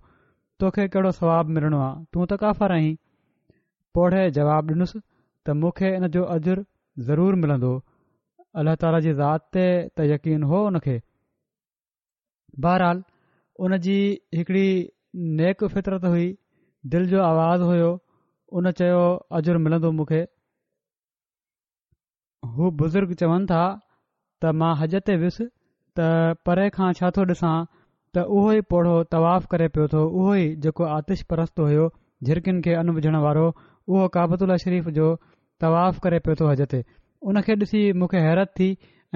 [SPEAKER 2] توکي ڪهڙو ثواب ملڻو آ، تون ته ڪافر آهين. پوڙهي جواب ڏنس ته مون کي ان جو اجر ضرور ملندو، الله تعاليٰ جي ذات تي ته يقين هو ان کي. بهرحال ان جي هڪڙي نيڪ فطرت هئي، دل جو آواز هيو، ان چيو اجر ملندو مون کي. هو بزرگ چون ٿا ته مان حج تي ويس ته پري کان ڇا ٿو ڏسان ته اهو ئي پوڙهو طواف ڪري پيو ٿو اهو ئي جيڪو آتش پرست هيو جهرڪين کي ان وجهڻ وارو اهو ڪعبة الله شريف جو طواف ڪري پيو ٿو حج تي ان کي ڏسي مون کي حيرت ٿي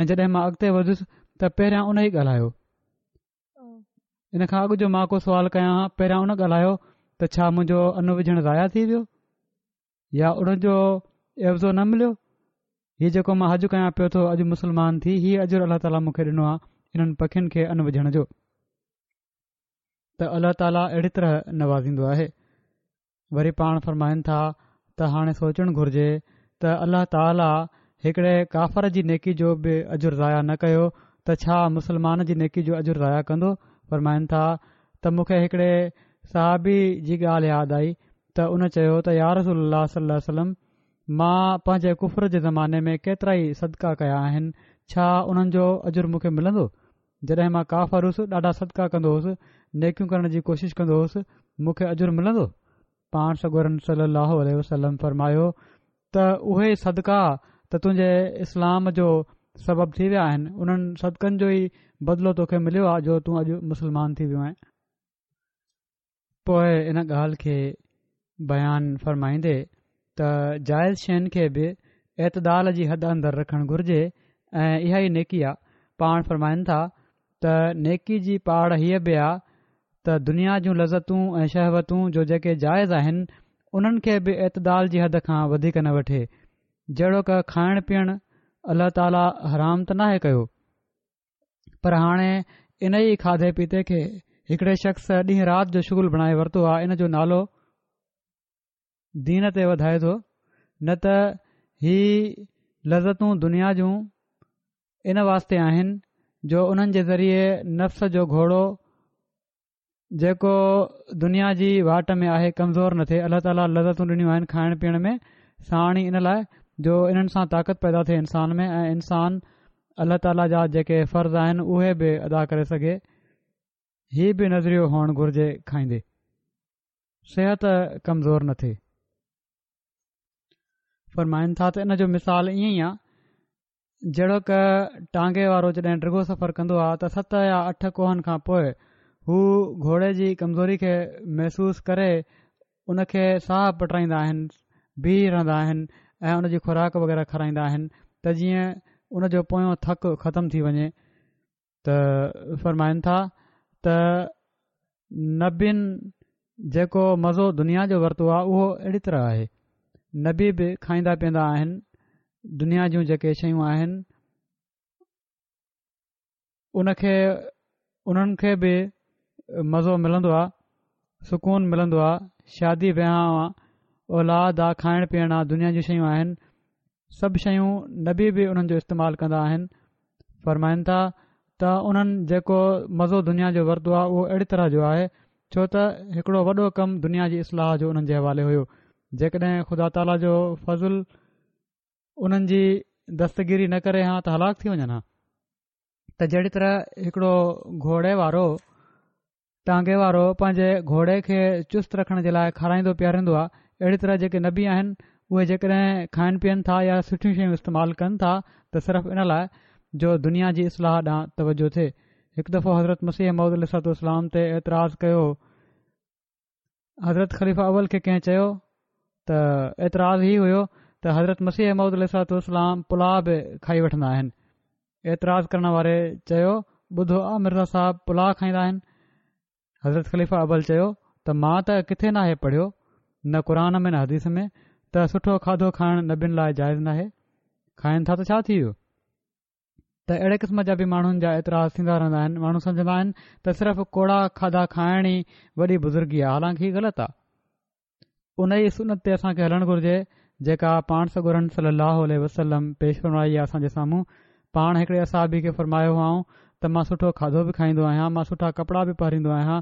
[SPEAKER 2] ۽ جڏهن مان اڳتي وڌيس ته پهريان ان ئي ڳالهايو. ان کان اڳ جو مان ڪو سوال ڪيان ها پهريان ان ڳالهايو ته ڇا منهنجو ان وجهڻ ضايع ٿي ويو يا ان جو عيوضو نه مليو؟ هي جيڪو مان حج ڪيان پيو ٿو اڄ مسلمان ٿي هي اجر الله تعاليٰ مون کي ڏنو آهي انهن پکين کي ان وجهڻ جو ته الله تعاليٰ اهڙي طرح نوازيندو آهي. وري پاڻ فرمائن ٿا ته هاڻي سوچڻ گهرجي ته الله تعاليٰ هڪڙي ڪافر جي نيڪي جو به اجر ضايع نه ڪيو ته ڇا مسلمان جي نيڪي جو اجر ضايع ڪندو؟ فرمائن ٿا ته مون کي هڪڙي صحابي جي ڳالهه ياد آئي ته ان چيو ته يا رسول الله صلي الله عليه وسلم مان پنهنجي ڪفر جي زماني ۾ ڪيترائي صدقا ڪيا آهن ڇا انهن جو اجر مون کي ملندو؟ جڏهن مان ڪافر هوس ڏاڍا صدقا ڪندو هوس، نيڪيون ڪرڻ جي ڪوشش ڪندو هوس، مون کي اجر ملندو؟ پاڻ سڳورن صلّي اللّٰه عليه وسلّم فرمايو ته اهي ئي صدقا ته تنهنجي اسلام جو سبب ٿي ويا آهن، انهن صدقن جو ئي بدلو توکي مليو آهي جو تون اڄ مسلمان ٿي ويو آهين. پوء ان ڳالهه کي بيان فرمائيندي ته جائز شين کي به اعتدال جي حد اندر رکڻ گهرجي ۽ اها ئي نيڪي آ. پاڻ فرمائن ٿا ته نيڪي جي پاڙ هيء به آ ته دنيا جون لذتون ۽ شهوتون جو جيڪي جائز آهن انهن کي به اعتدال جي حد کان وڌيڪ نه وٺي جهڙوڪ کائڻ پيئڻ الله تعاليٰ حرام ته ناهي ڪيو پر هاڻي ان ئي کاڌي پيتي کي هڪڙي شخص ڏينهن رات جو شغل بڻائي ورتو آهي ان جو نالو دين تي وڌائي ٿو نه ته هي لذتون دنيا جون ان واسطي آهن جو انهن جي ذريعي نفس جو گهوڙو جيڪو دنيا جي واٽ ۾ آهي ڪمزور نه ٿئي الله تعاليٰ لذتون ڏنيون آهن کائڻ پيئڻ ۾ ساڻ ئي ان لاء جو انهن سان طاقت پيدا ٿئي انسان ۾ ۽ انسان الله تعاليٰ جا جيڪي فرض آهن اهي به ادا ڪري سگهي هي به نظريو هئڻ گهرجي کائيندي صحت ڪمزور نه ٿئي فرمائن ٿا ته ان جو مثال ائين ئي آهي جهڙوڪ ٽانگي وارو جڏهن ڊگهو سفر ڪندو آهي ته ست يا اٺ ڪوهن کان پوء هو گهوڙي جي ڪمزوري کي محسوس ڪري ان کي ساهه پٽرائيندا آهن بيهي رهندا آهن ۽ ان جي خوراڪ وغيره کارائيندا آهن ته جيئن ان جو پويون ٿڪ ختم ٿي وڃي ته فرمائن ٿا ته نبين جيڪو مزو دنيا جو ورتو آهي اهو اهڙي طرح آهي نبي به کائيندا پيئندا آهن دنيا جون جيڪي شيون آهن ان کي انهن کي به مزو ملندو آهي سڪون ملندو آهي شادي وهانء آ اولاد آ کائڻ پيئڻ آ دنيا جون شيون آهن سڀ شيون نبي به انهن جو استعمال ڪندا آهن فرمائن ٿا ته انهن جيڪو مزو دنيا جو ورتو آهي اهو اهڙي طرح جو آهي ڇو ته هڪڙو وڏو ڪم دنيا جي اصلاح جو انهن جي حوالي هيو جيڪڏهن خدا تعاليٰ جو فضل انهن جي دستگيري نه ڪري ها ته هلاڪ ٿي وڃن ها ته جهڙي طرح هڪڙو گهوڙي وارو ٽانگي وارو پنهنجي گهوڙي کي چست رکڻ جي لاء کارائيندو پياريندو آهي، اهڙي طرح جيڪي نبي آهن اهي جيڪڏهن کائن پيئن ٿا يا سٺيون شيون استعمال ڪن ٿا ته صرف ان لاء جو دنيا جي اصلاح ڏانهن توجه ٿئي. هڪ دفعو حضرت مسيح موعود عليه الصلوة والسلام تي اعتراض ڪيو حضرت خليفه اول کي ڪنهن چيو ته اعتراض هي هيو ته حضرت مسيح موعود عليه الصلوة والسلام پلاء به کائي وٺندا آهن اعتراض ڪرڻ واري چيو ٻڌو آ مرزا صاحب پلاء کائيندا آهن حضرت خليفه اول چيو ته مان ته ڪٿي ناهي پڙهيو نه قرآن ۾ نه حديث ۾ ته سٺو کاڌو کائڻ نبين لاء جائز ناهي کائن ٿا ته ڇا ٿي ويو ته اهڙي قسم جا به ماڻهن جا اعتراض ٿيندا رهندا آهن ماڻهو سمجهندا آهن ته صرف ڪوڙا کاڌا کائڻ ئي وڏي بزرگي آهي حالانڪه هي غلط آهي ان ئي سنت تي اسان کي هلڻ گهرجي جيڪا پاڻ سڳورن صلي الله عليه وسلم پيش فرمائي آهي اسان جي سامهون پاڻ هڪڙي اصحابي کي فرمايو هئائون ته مان سٺو کاڌو به کائيندو آهيان مان سٺا ڪپڙا به پهريندو آهيان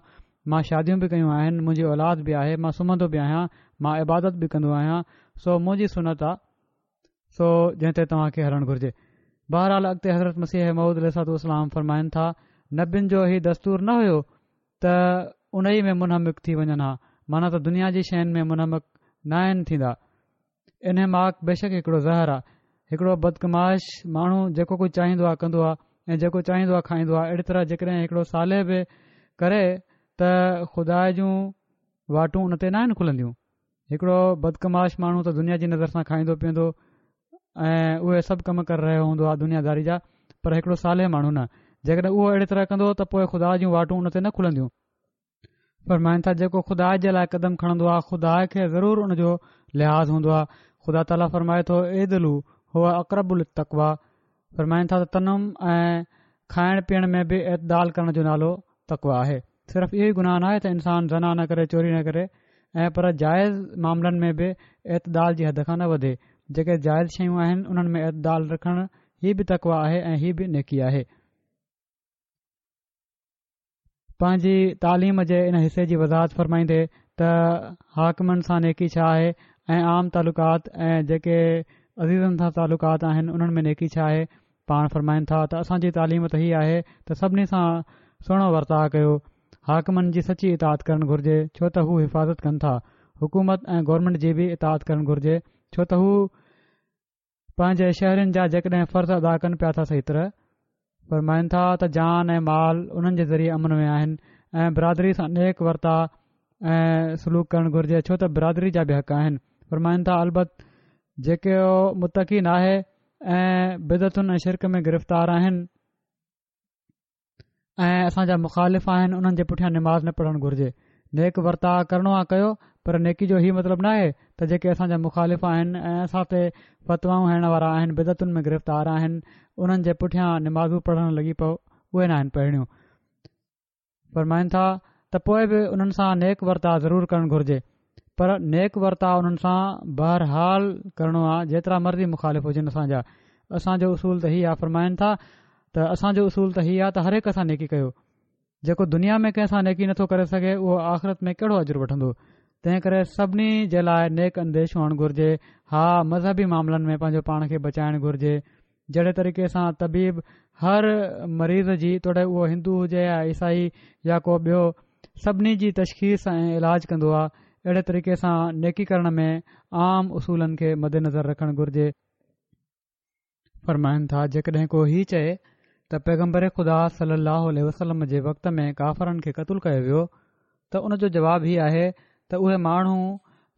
[SPEAKER 2] مان شاديون به ڪيون آهن منهنجي اولاد به آهي مان سمهندو به آهيان مان عبادت به ڪندو آهيان سو منهنجي سنت آ سو جنهن تي توهان کي هلڻ گهرجي. بهرحال اڳتي حضرت مسيح موعود عليه الصلوة والسلام فرمائن ٿا، نبين جو هي دستور نه هيو ته انهي ۾ منهمڪ ٿي وڃن ها، معنيٰ ته دنيا جي شين ۾ منهمڪ ناهن ٿيندا. انهماڪ بيشڪ هڪڙو زهر آ. هڪڙو بدقماش ماڻهو جيڪو ڪجهه چاهيندو آ ڪندو آ ۽ جيڪو چاهيندو آ کائيندو آ. اهڙي طرح جيڪڏهن هڪڙو صالح به ڪري ته خدا جون واٽون ان تي ناهن کلنديون. هڪڙو بدقماش ماڻهو ته دنيا جي نظر سان کائيندو پيئندو ۽ اهي سڀ ڪم ڪري رهيو هوندو آهي دنيا داري جا پر هڪڙو صالح ماڻهو نه. جيڪڏهن اهو اهڙي طرح ڪندو ته پوء خدا جون واٽون ان تي نه کلنديون. فرمائن ٿا جيڪو خدا جي لاء قدم کڻندو آهي خدا کي ضرور ان جو لحاظ هوندو آهي. خدا تعاليٰ فرمائي ٿو اعدلوا هو اقرب للتقويٰ فرمائن ٿا ته تنعم ۽ کائڻ پيئڻ ۾ به اعتدال ڪرڻ جو نالو تقويٰ آهي. صرف اهو ئي گناهه ناهي ته انسان زنا نه ڪري چوري نه ڪري ۽ پر جائز معاملن ۾ به اعتدال جي حد کان نه وڌي. جيڪي جائز شيون آهن انهن ۾ اعتدال رکڻ هي به تقويٰ آهي ۽ هي به نيڪي آهي. پنهنجي تعليم جي ان حصي جي وضاحت فرمائيندي ته حاڪمن سان نيڪي ڇا آهي ۽ عام تعلقات ۽ جيڪي عزيزن سان تعلقات آهن انهن ۾ نيڪي ڇا آهي پاڻ فرمائن ٿا ته اسان جي تعليم ته هي آهي ته سڀني سان سهڻو ورتاء ڪيو حاڪمن جي سچي اطاعت ڪرڻ گهرجي ڇو ته هو حفاظت ڪن ٿا حڪومت ۽ گورنمينٽ جي به اطاعت ڪرڻ گهرجي ڇو ته هو پنهنجي شهرين جا جيڪڏهن فرض ادا ڪن پيا ٿا صحيح طرح فرمائن ٿا ته جان ۽ مال انهن جي ذريعي امن ۾ آهن ۽ برادري سان نيڪ ورتاء ۽ سلوڪ ڪرڻ گهرجي ڇو ته برادري جا به حق آهن فرمائن ٿا البت جيڪي متقي ناهي ۽ بدعتن ۽ شرڪ ۾ گرفتار آهن ۽ اسان جا مخالف آهن انهن جي پٺيان نماز نه پڙهڻ گهرجي نيڪ ورتاء ڪرڻو آ ڪيو پر نيڪي جو هي مطلب ناهي ته جيڪي اسان جا مخالف آهن ۽ اسان تي فتوائون هڻڻ وارا آهن بدعتن ۾ گرفتار آهن انهن جي پٺيان نمازون پڙهڻ لڳي پئو اهي ناهن پڙهڻيون فرمائن ٿا ته پوء به انهن سان نيڪ ورتاء ضرور ڪرڻ گهرجي پر نيڪ ورتاء انهن سان بهرحال ڪرڻو آ جيترا مرضي مخالف هجن اسان جا اسان جو اصول ته هي آ فرمائن ٿا ته اسان جو اصول ته هي آ ته هر هڪ سان نيڪي ڪيو جيڪو دنيا ۾ ڪنهن سان نيڪي نٿو ڪري سگهي اهو آخرت ۾ ڪهڙو اجر وٺندو تنهن ڪري سڀني جي لاء نيڪ انديش هئڻ گهرجي ها مذهبي معاملن ۾ پنهنجو پاڻ کي بچائڻ گهرجي جهڙي طريقي سان طبيب هر مريض جي توڙي اهو هندو هجي يا عيسائي يا ڪو ٻيو سڀني جي تشخيص ۽ علاج ڪندو آهي اهڙي طريقي سان نيڪي ڪرڻ ۾ عام اصولن کي مدنظر رکڻ گهرجي. فرمائن ٿا جيڪڏهن ڪو هي چئي ته پيغمبر خدا صلي الله عليه وسلم جي وقت ۾ ڪافرن کي قتل ڪيو ويو ته ان جو جواب هي آهي ته اهي ماڻهو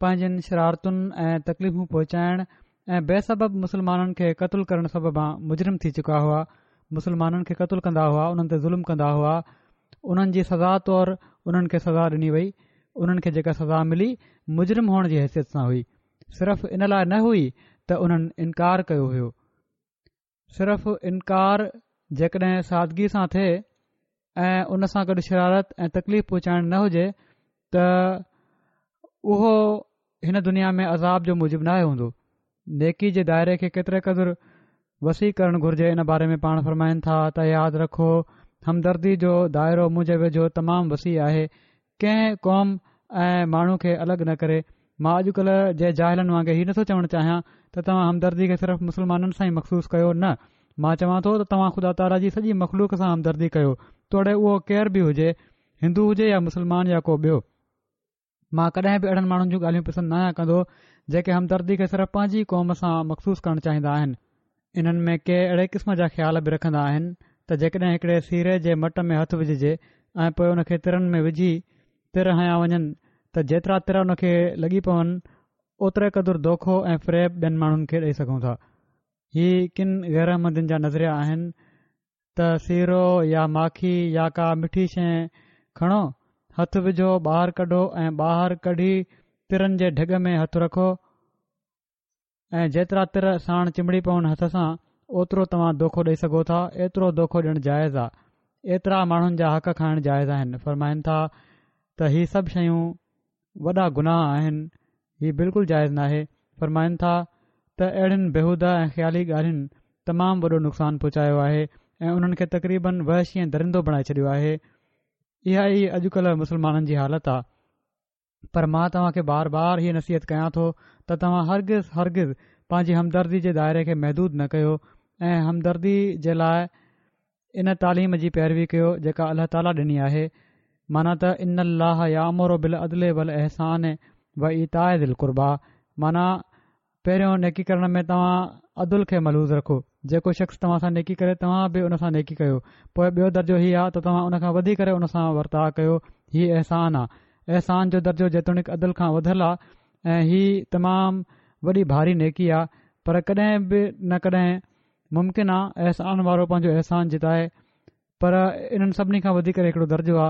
[SPEAKER 2] پنهنجين شرارتن ۽ تڪليفون پهچائڻ ۽ بي سبب مسلمانن کي قتل ڪرڻ سببان مجرم ٿي چڪا هئا مسلمانن کي قتل ڪندا هئا انهن تي ظلم ڪندا هئا انهن جي سزا طور انهن کي سزا ڏني وئي انهن کي جيڪا سزا ملي مجرم هئڻ جي حيثيت سان هئي صرف ان لاء نه هئي ته انهن انڪار ڪيو هيو صرف انڪار جيڪڏهن سادگي سان ٿئي ۽ ان سان گڏ شرارت ۽ تڪليف پهچائڻ نه هجي ته اهو هن دنيا ۾ عذاب جو موجب ناهي هوندو نيڪي جي دائري کي ڪيتري قدر وسيع ڪرڻ گهرجي ان باري ۾ پاڻ فرمائن ٿا ته ياد رکو همدردي جو دائرو منهنجي ويجهو تمام وسيع آهي ڪنهن قوم ۽ ماڻهو کي الڳ نه ڪري. مان اڄڪلهه جي جاهلن وانگي هي نٿو چوڻ چاهيان ته توهان همدردي کي صرف مسلمانن سان ئي مخصوص ڪيو، نه، مان چوان ٿو ته توهان خدا تعاليٰ جي سڄي مخلوق سان همدردي ڪيو، توڙي اهو ڪير به هجي، هندو هجي يا مسلمان يا ڪو ٻيو. مان ڪڏهن به اهڙن ماڻهن جون ڳالهيون پسند ناهيان ڪندو، جيڪي همدردي کي صرف پنهنجي قوم سان مخصوص ڪرڻ چاهيندا آهن. انهن ۾ ڪي اهڙي قسم جا خيال به رکندا آهن ته جيڪڏهن هڪڙي سيري جي مٽ ۾ هٿ وجهجي ۽ پوء ان کي ترن ۾ وجهي تر هنيا وڃن ته جيترا تر ان کي لڳي پون اوتري قدر دوکو ۽ فريب ٻين ماڻهن کي ڏئي سگهون ٿا. هي ڪن غيراحمدين جا نظريا آهن ته سيرو يا ماکي يا ڪا مٺي شيء کڻو، هٿ وجهو ٻاهر ڪڍو ۽ ٻاهر ڪڍي ترن جي ڍڳ ۾ هٿ رکو، ۽ جيترا تر ساڻ چنبڙي پون هٿ سان اوترو توهان دوکو ڏئي سگهو ٿا ايترو دوکو ڏيڻ جائز آ ايترا ماڻهن جا حق کائڻ جائز آهن فرمائن ٿا ته هي سڀ شيون وڏا گناهه آهن هي بلڪل جائز ناهي فرمائن ٿا ته اهڙين بيهوده ۽ خيالي ڳالهين تمام وڏو نقصان پهچايو آهي ۽ انهن کي تقريبن وحشي ۽ درندو بڻائي ڇڏيو آهي اها ئي اڄڪلهه مسلمانن جي حالت آ. پر مان توهان کي بار بار هيء نصيحت ڪيان ٿو ته توهان هرگز هرگز پنهنجي همدردي جي دائري کي محدود نه ڪيو ۽ همدردي جي لاء ان تعليم جي پيروي ڪيو جيڪا الله تعاليٰ ڏني آهي معنيٰ ته ان الله يامر بالعدل والاحسان وايتاء ذي القربيٰ معنيٰ پهريون نيڪي ڪرڻ ۾ توهان عدل کي ملحوظ رکو، جيڪو شخص توهان سان نيڪي ڪري توهان به ان سان نيڪي ڪيو، پوء ٻيو درجو هي آ ته توهان ان کان وڌي ڪري ان سان ورتاء ڪيو، هي احسان آ. احسان جو درجو جيتوڻيڪ عدل کان وڌل آ ۽ هي تمام وڏي ڀاري نيڪي آ پر ڪڏهن به نه ڪڏهن ممڪن آ احسان وارو پنهنجو احسان جتائي. پر انهن سڀني کان وڌي ڪري هڪڙو درجو آ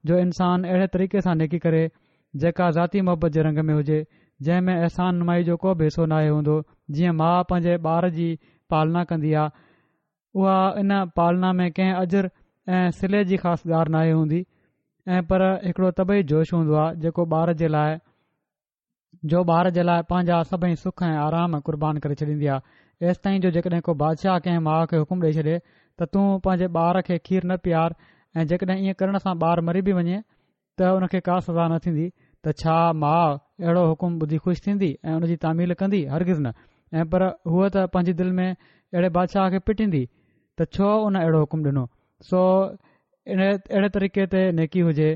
[SPEAKER 2] جو انسان اهڙي طريقي سان نيڪي ڪري جيڪا ذاتي محبت جي رنگ ۾ هجي، جنهن ۾ احسان نمائي جو ڪو به حصو ناهي هوندو، جيئن ماء پنهنجي ٻار جي پالنا ڪندي آ، اها ان پالنا ۾ ڪنهن اجر ۽ صلي جي خواستگار ناهي هوندي ۽ پر هڪڙو طبعي جوش هوندو آ جيڪو ٻار جي لاء جو ٻار جي لاء پنهنجا سڀئي سک ۽ آرام قربان ڪري ڇڏيندي آ، ايستائين جو جيڪڏهن ڪو بادشاهه ڪنهن ماء کي حڪم ڏئي ڇڏي ته تون پنهنجي ٻار کي کير نه پيار ۽ جيڪڏهن ائين ڪرڻ سان ٻار مري به وڃي ته ان کي ڪا سزا نه ٿيندي ته ڇا ماء اهڙو حڪم ٻڌي خوش ٿيندي ۽ ان جي تعميل ڪندي؟ هرگز نه ۽ پر هوء ته پنهنجي دل ۾ اهڙي بادشاهه کي پٽيندي ته ڇو ان اهڙو حڪم ڏنو؟ سو اهڙي طريقي تي نيڪي هجي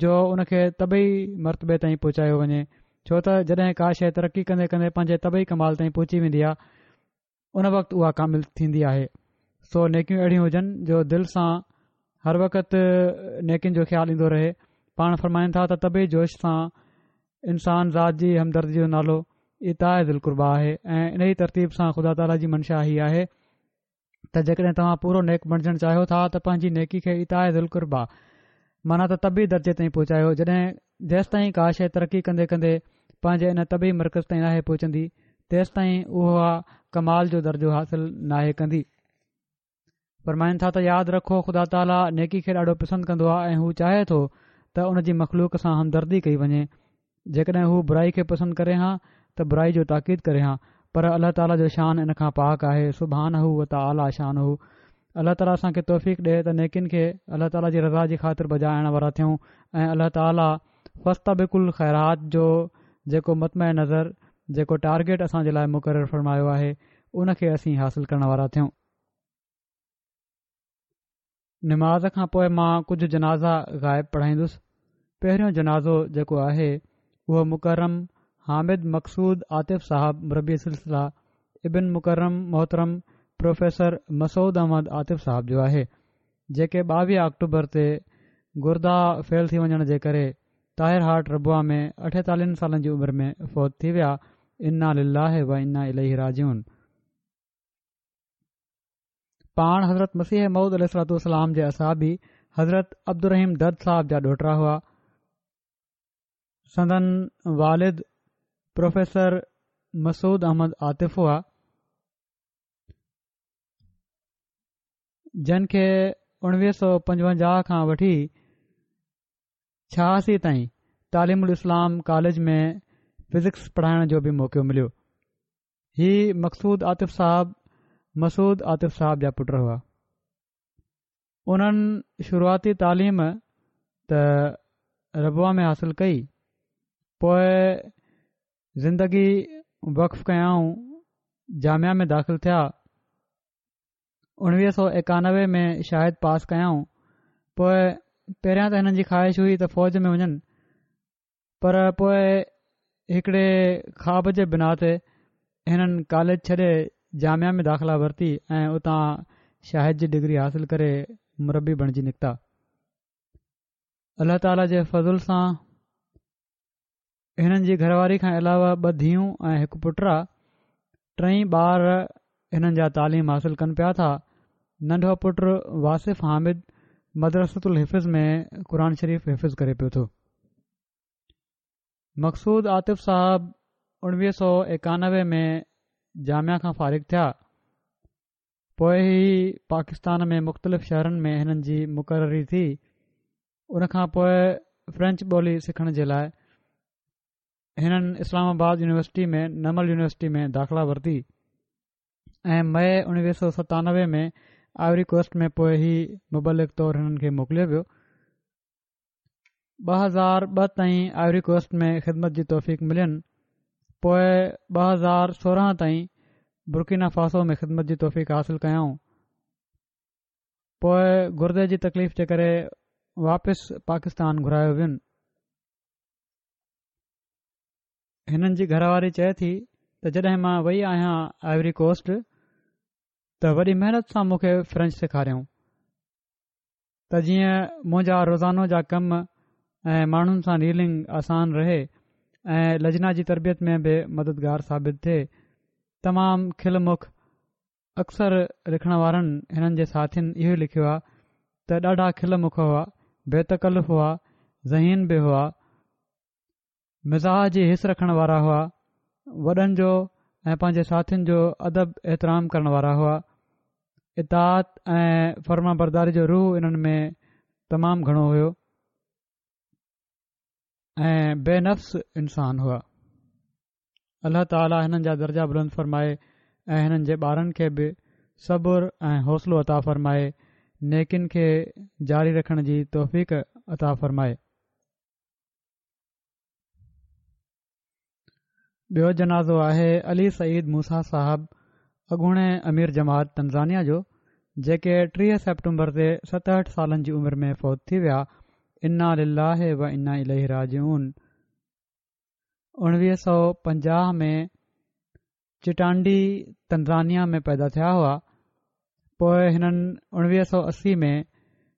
[SPEAKER 2] جو ان کي طبعي مرتبي تائين پهچايو وڃي ڇو ته جڏهن ڪا شيء ترقي ڪندي ڪندي پنهنجي طبعي ڪمال تائين پهچي ويندي آهي ان وقت اها ڪامل ٿيندي آهي سو نيڪيون اهڙيون هجن جو دل سان هر وقت نيڪين جو خيال ايندو رهي پاڻ فرمائن ٿا ته طبعي جوش سان انسان ذات جي همدردي جو نالو ايتاء ذي القربيٰ آهي ۽ انهي ترتيب سان خدا تعاليٰ جي منشا هي آهي ته جيڪڏهن توهان پورو نيڪ بڻجڻ چاهيو ٿا ته پنهنجي نيڪي کي ايتاء ذي القربيٰ معنيٰ ته طبعي درجي تائين پهچايو جڏهن جيستائين ڪا شيء ترقي ڪندي ڪندي پنهنجي ان طبعي مرڪز تائين ناهي پهچندي تيستائين اها ڪمال جو درجو حاصل ناهي ڪندي. فرمائن ٿا ته ياد رکو خدا تعاليٰ نيڪي کي ڏاڍو پسند ڪندو آهي ۽ هو چاهي ٿو ته ان جي مخلوق سان همدردي ڪئي وڃي جيڪڏهن هو برائي کي پسند ڪري هان ته برائي جو تاڪيد ڪري هان پر الله تعالي جو شان ان کان پاڪ آهي سبحانه وتعالي شانه الله تعالي اسان کي توفيق ڏي ته نيڪين کي الله تعالي جي رضا جي خاطر بجا آڻڻ وارا ٿيون ۽ الله تعالي فاستبقوا الخيرات جو جيڪو مطمع نظر جيڪو ٽارگيٽ اسان جي لاء مقرر فرمايو آهي ان کي اسين حاصل ڪرڻ وارا ٿيون. نماز کان پوء مان ڪجهه جنازا غائب پڙهائيندس. پهريون جنازو جيڪو آهي اهو مڪرم حامد مقصود عاطف صاحب مربي سلسله ابن مڪرم محترم پروفيسر مسعود احمد عاطف صاحب جو آهي جيڪي 22 آڪٽوبر تي گردا فيل ٿي وڃڻ جي ڪري طاهر هارٽ ربوه ۾ 48 سالن جي عمر ۾ فوت ٿي ويا انا لله و انا اليه راجعون. پاڻ حضرت مسيح موعود عليه الصلوة والسلام جي اصحابي حضرت عبدالرحيم درد صاحب جا ڏوهٽا هئا. سندن والد پروفيسر مسعود احمد عاطف هئا، جن کي 1955 کان وٺي 86 تائين تعليم الاسلام ڪاليج ۾ فزڪس پڙهائڻ جو به موقعو مليو. هي مقصود عاطف صاحب مسعود عاطف صاحب جا پٽ هئا. انهن شروعاتي تعليم ته ربوه ۾ حاصل ڪئي، پوء زندگي وقف ڪيائون، جامعه ۾ داخل ٿيا. 1991 ۾ شاهد پاس ڪيائون. پوء پهريان ته هنن جي خواهش هئي ته فوج ۾ وڃن، پر پوء هڪڙي خواب جي بنا تي هنن ڪاليج ڇڏي جامعه ۾ داخلا ورتي ۽ اتان شاهد جي ڊگري حاصل ڪري مربي بڻجي نڪتا. الله تعاليٰ جي فضل سان هنن جي گهر واري کان علاوه ٻه ڌيئون ۽ هڪ پٽ آ. ٽئي ٻار هنن جا تعليم حاصل ڪن پيا ٿا. ننڍو پٽ واصف حامد مدرسة الحفظ ۾ قرآن شريف حفظ ڪري پيو ٿو. مقصود عاطف صاحب 1991 ۾ جامعه کان فارغ ٿيا. پوء هي پاڪستان ۾ مختلف شهرن ۾ هنن جي مقرري ٿي. ان کان پوء فرينچ ٻولي سکڻ جي لاء هنن اسلام آباد يونيورسٽي ۾ نمل يونيورسٽي ۾ داخلا ورتي ۽ مئي 1997 ۾ آئوري ڪوسٽ ۾ پوء هي مبلغ طور هنن کي موڪليو ويو. 2002 تائين آئوري ڪوسٽ ۾ خدمت جي توفيق ملين پوء 2016 تائين برڪينا فاسو ۾ خدمت جي توفيق حاصل ڪيائون پوء گردي جي تڪليف جي ڪري واپس پاڪستان گهرايو وين هنن جي گهر واري چئي ٿي ته جڏهن مان وئي آهيان آئوري ڪوسٽ ته وڏي محنت سان مون کي فرينچ سيکاريائون ته جيئن منهنجا روزانو جا ڪم ۽ ماڻهن سان ڊيلنگ آسان رهي ۽ لجنا جي تربيت ۾ به مددگار ثابت ٿئي. تمام کل مک اڪثر لکڻ وارن هنن جي ساٿين اهو ئي لکيو آهي. ته ڏاڍا کل مک هئا، بي تڪلف هئا، ذهين به هئا، مزاح جي حس رکڻ وارا هئا، وڏن جو ۽ پنهنجي ساٿين جو ادب احترام ڪرڻ وارا هئا، اطاعت ۽ فرمانبرداري جو روح انهن ۾ تمام گهڻو هيو ۽ بي نفس انسان هئا. الله تعالي هنن جا درجا بلند فرمائي ۽ هنن جي ٻارن کي به صبر ۽ حوصلو عطا فرمائي نيڪين کي جاري رکڻ جي توفيق عطا فرمائي. ٻيو جنازو آهي علي سعيد موسيٰ صاحب اڳوڻي امير جماعت تنزانيا جو جيڪي 30 سيپٽمبر تي 67 سالن جي عمر ۾ فوت ٿي ويا انا لله و انا اليه راجعون. 1950 ۾ چٽانڊي تنزانيا ۾ پيدا ٿيا هئا. پوء هنن 1980 ۾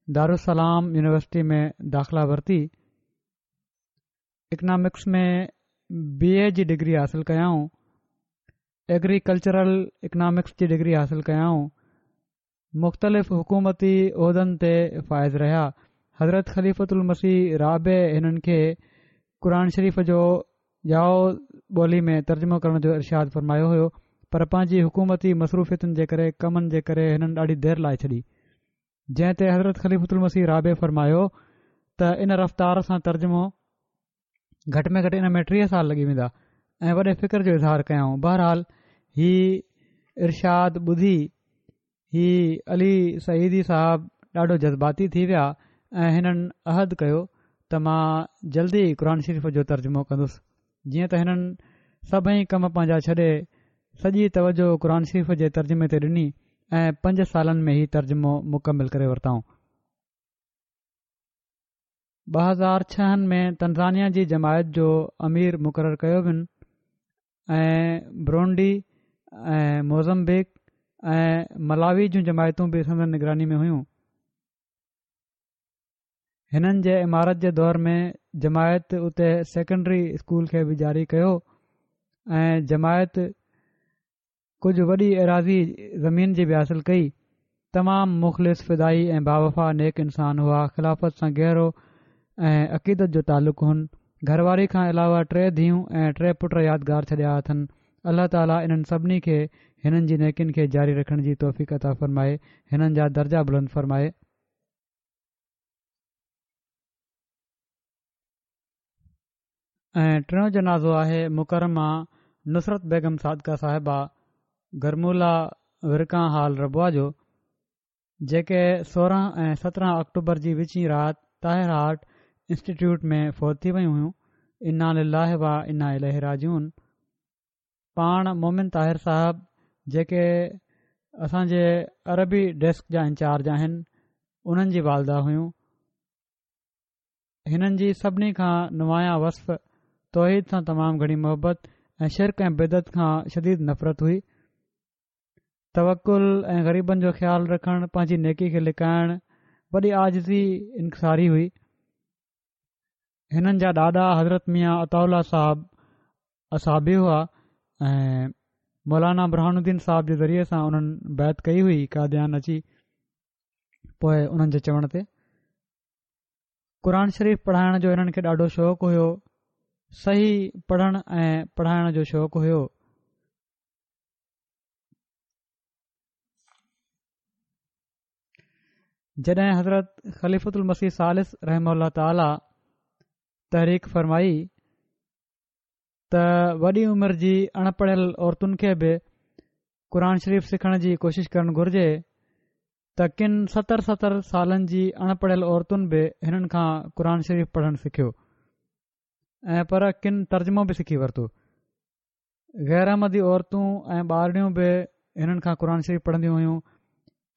[SPEAKER 2] دارالسلام يونيورسٽي ۾ داخلا ورتي. اڪنامڪس ۾ بي اي جي ڊگري حاصل ڪيائون. ايگريڪلچرل اڪنامڪس جي ڊگري حاصل ڪيائون. مختلف حڪومتي عهدن تي فائز رهيا. حضرت خليفة المسيح رابع هنن کي قرآن شريف جو يائو ٻولي ۾ ترجمو ڪرڻ جو ارشاد فرمايو هيو پر پنهنجي حڪومتي مصروفيتن جي ڪري ڪمن جي ڪري هنن ڏاڍي دير لائي ڇڏي جنهن تي حضرت خليفة المسيح رابع فرمايو ته ان رفتار سان ترجمو گهٽ ۾ گهٽ ان ۾ 30 سال لڳي ويندا ۽ وڏي فڪر جو اظهار ڪيائون بهرحال هي ارشاد ٻڌي هي علي سعيدي صاحب ڏاڍو جذباتي ٿي ويا ۽ هنن عهد ڪيو ته مان جلدي قرآن شريف جو ترجمو ڪندس جيئن ته هنن سڀئي ڪم پنهنجا ڇڏي سڄي توجه قرآن شريف جي ترجمي تي ڏني ۽ 5 سالن ۾ هي ترجمو مڪمل ڪري ورتائون. 2006 ۾ تنزانيا جي جماعت جو امير مقرر ڪيو وين ۽ برونڊي ۽ موزمبيق ۽ ملاوي جون جماعتون به سندن نگراني ۾ هيون. هنن جي امارت جي دور ۾ جماعت اتي سيڪنڊري اسڪول کي به جاري ڪيو ۽ جماعت ڪجهه وڏي ايراضي زمين جي به حاصل ڪئي. تمام مخلص، فدائي ۽ باوفا نيڪ انسان هئا. خلافت سان گهرو ۽ عقيدت جو تعلق هن. گهر واري کان علاوه ٽي ڌيئون ۽ ٽي پٽ يادگار ڇڏيا اٿن. الله تعالي انهن سڀني کي هنن جي نيڪين کي جاري رکڻ جي توفيق عطا فرمائي. هنن جا درجا بلند فرمائي. ۽ ٽيون جنازو آهي مڪرمه نصرت بيگم صادقه صاحبه گرمولا ورڪان هال ربوه جو جيڪي 16 ۽ 17 آڪٽوبر جي وچين رات طاهر هارٽ انسٽيٽيوٽ ۾ فوت ٿي ويون هيون انا لله و انا اليه راجعون پاڻ مومن طاهر صاحب جيڪي اسان جي عربي ڊيسڪ جا انچارج آهن انهن جي والده هيون هنن جي سڀني کان نمايان وصف توحيد سان تمام گهڻي محبت ۽ شرڪ ۽ بدعت کان شديد نفرت هئي. توڪل ۽ غريبن جو خيال رکڻ، پنهنجي نيڪي کي لڪائڻ، وڏي عاجزي انڪساري هئي. هنن جا ڏاڏا حضرت ميان عطاء الله صاحب اصحابي هئا ۽ مولانا برهان الدين صاحب جي ذريعي سان انهن بيعت ڪئي هئي قاديان اچي پوء انهن جي چوڻ تي قرآن شريف پڙهائڻ جو هنن کي ڏاڍو شوق هيو صحيح پڙهڻ ۽ پڙهائڻ جو شوق هيو جڏهن حضرت خليفة المسيح ثالث رحمه الله تعاليٰ تحريڪ فرمائي ته وڏي عمر جي اڻ پڙهيل عورتن کي به قرآن شريف سکڻ جي ڪوشش ڪرڻ گهرجي ته ڪن ستر ستر سالن جي اڻ پڙهيل عورتن به هنن کان قرآن شريف پڙهڻ سکيو ۽ پر ڪن ترجمو به سکي ورتو. غير احمدي عورتون ۽ ٻارڙيون به هنن کان قرآن شريف پڙهنديون هيون.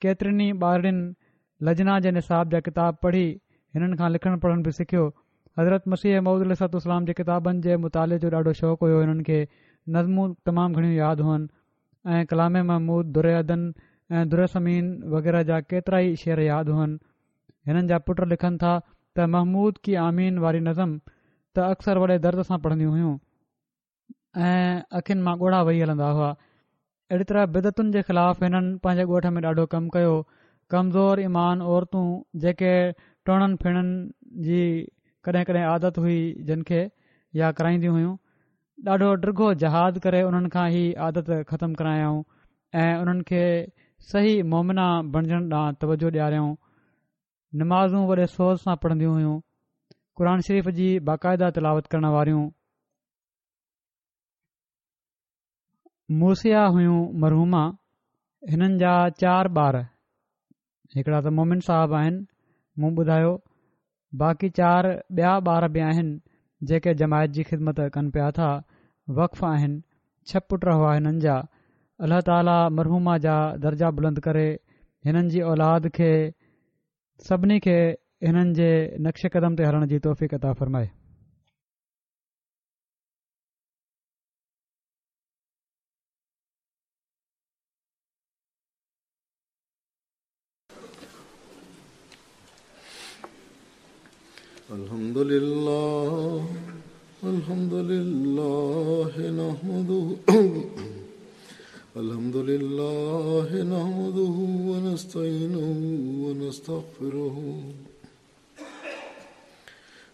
[SPEAKER 2] ڪيترين ئي ٻارڙين لجنا جي نصاب جا ڪتاب پڙهي هنن کان لکڻ پڙهڻ به سکيو. حضرت مسيح موعود عليه الصلوة والسلام جي ڪتابن جي مطالعي جو ڏاڍو شوق هيو هنن کي نظمون تمام گهڻيون ياد هئن. ۽ ڪلام محمود، در عدن ۽ در ثمين وغيره جا ڪيترائي شعر ياد هئن. هنن جا پٽ لکن ٿا ته محمود ڪي آمين واري نظم ته اڪثر وڏي درد سان پڙهنديون هيون ۽ اکين مان ڳوڙها وهي هلندا هئا. اهڙي طرح بدعتن جي خلاف هنن پنهنجي ڳوٺ ۾ ڏاڍو ڪم ڪيو. ڪمزور ايمان عورتون جيڪي ٽوڻن ڦيڻن جي ڪڏهن ڪڏهن عادت هئي جن کي يا ڪرائينديون هيون، ڏاڍو ڊگهو جهاد ڪري انهن کان هي عادت ختم ڪرايائون ۽ انهن کي صحيح مومنه بڻجڻ ڏانهن توجه ڏياريائون. نمازون وڏي سوز سان پڙهنديون هيون. قرآن شريف جي باقاعده تلاوت ڪرڻ واريون. موصيه هيون مرحومه هنن جا چار ٻار هڪڙا ته مومن صاحب آهن مون ٻڌايو باقي چار ٻيا ٻار به آهن جيڪي جماعت جي خدمت ڪن پيا ٿا وقف آهن ڇهه پٽ هئا هنن جا الله تعالي مرحومه جا درجا بلند ڪري هنن جي اولاد کي سڀني کي هنن جي نقش قدم تي هلڻ جي توفيق عطا فرمائي.
[SPEAKER 1] الحمد لله الحمد لله نحمده الحمد لله نحمده ونستعينه ونستغفره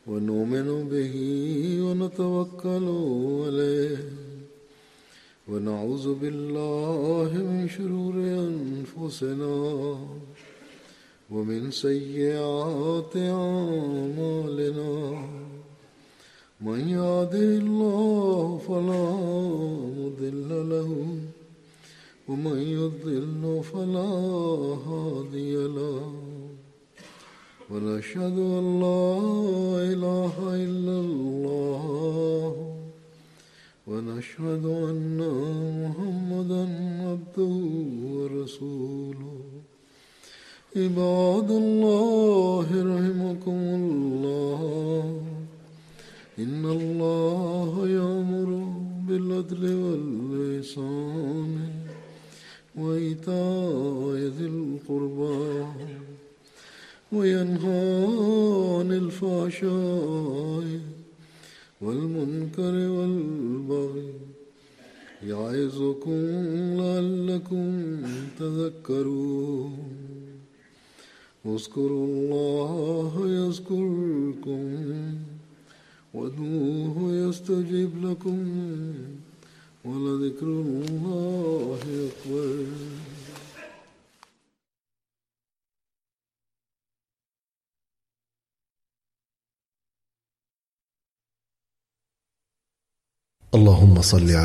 [SPEAKER 1] ونؤمن به ونتوكل عليه ونعوذ بالله من شرور أنفسنا ومن سيئات أعمالنا من يهده الله فلا مضل له ومن يضلل فلا هادي له ونشهد أن لا إله إلا الله ونشهد أن محمدا عبده ورسوله عباد الله رحمكم الله إن الله يأمر بالعدل والإحسان وإيتاء ذي القربى وينهى عن الفحشاء والمنكر والبغي يعظكم لعلكم تذكرون اذكروا الله يذكركم وادعوه يستجب لكم ولذكر الله أكبر.
[SPEAKER 3] اللهم صل على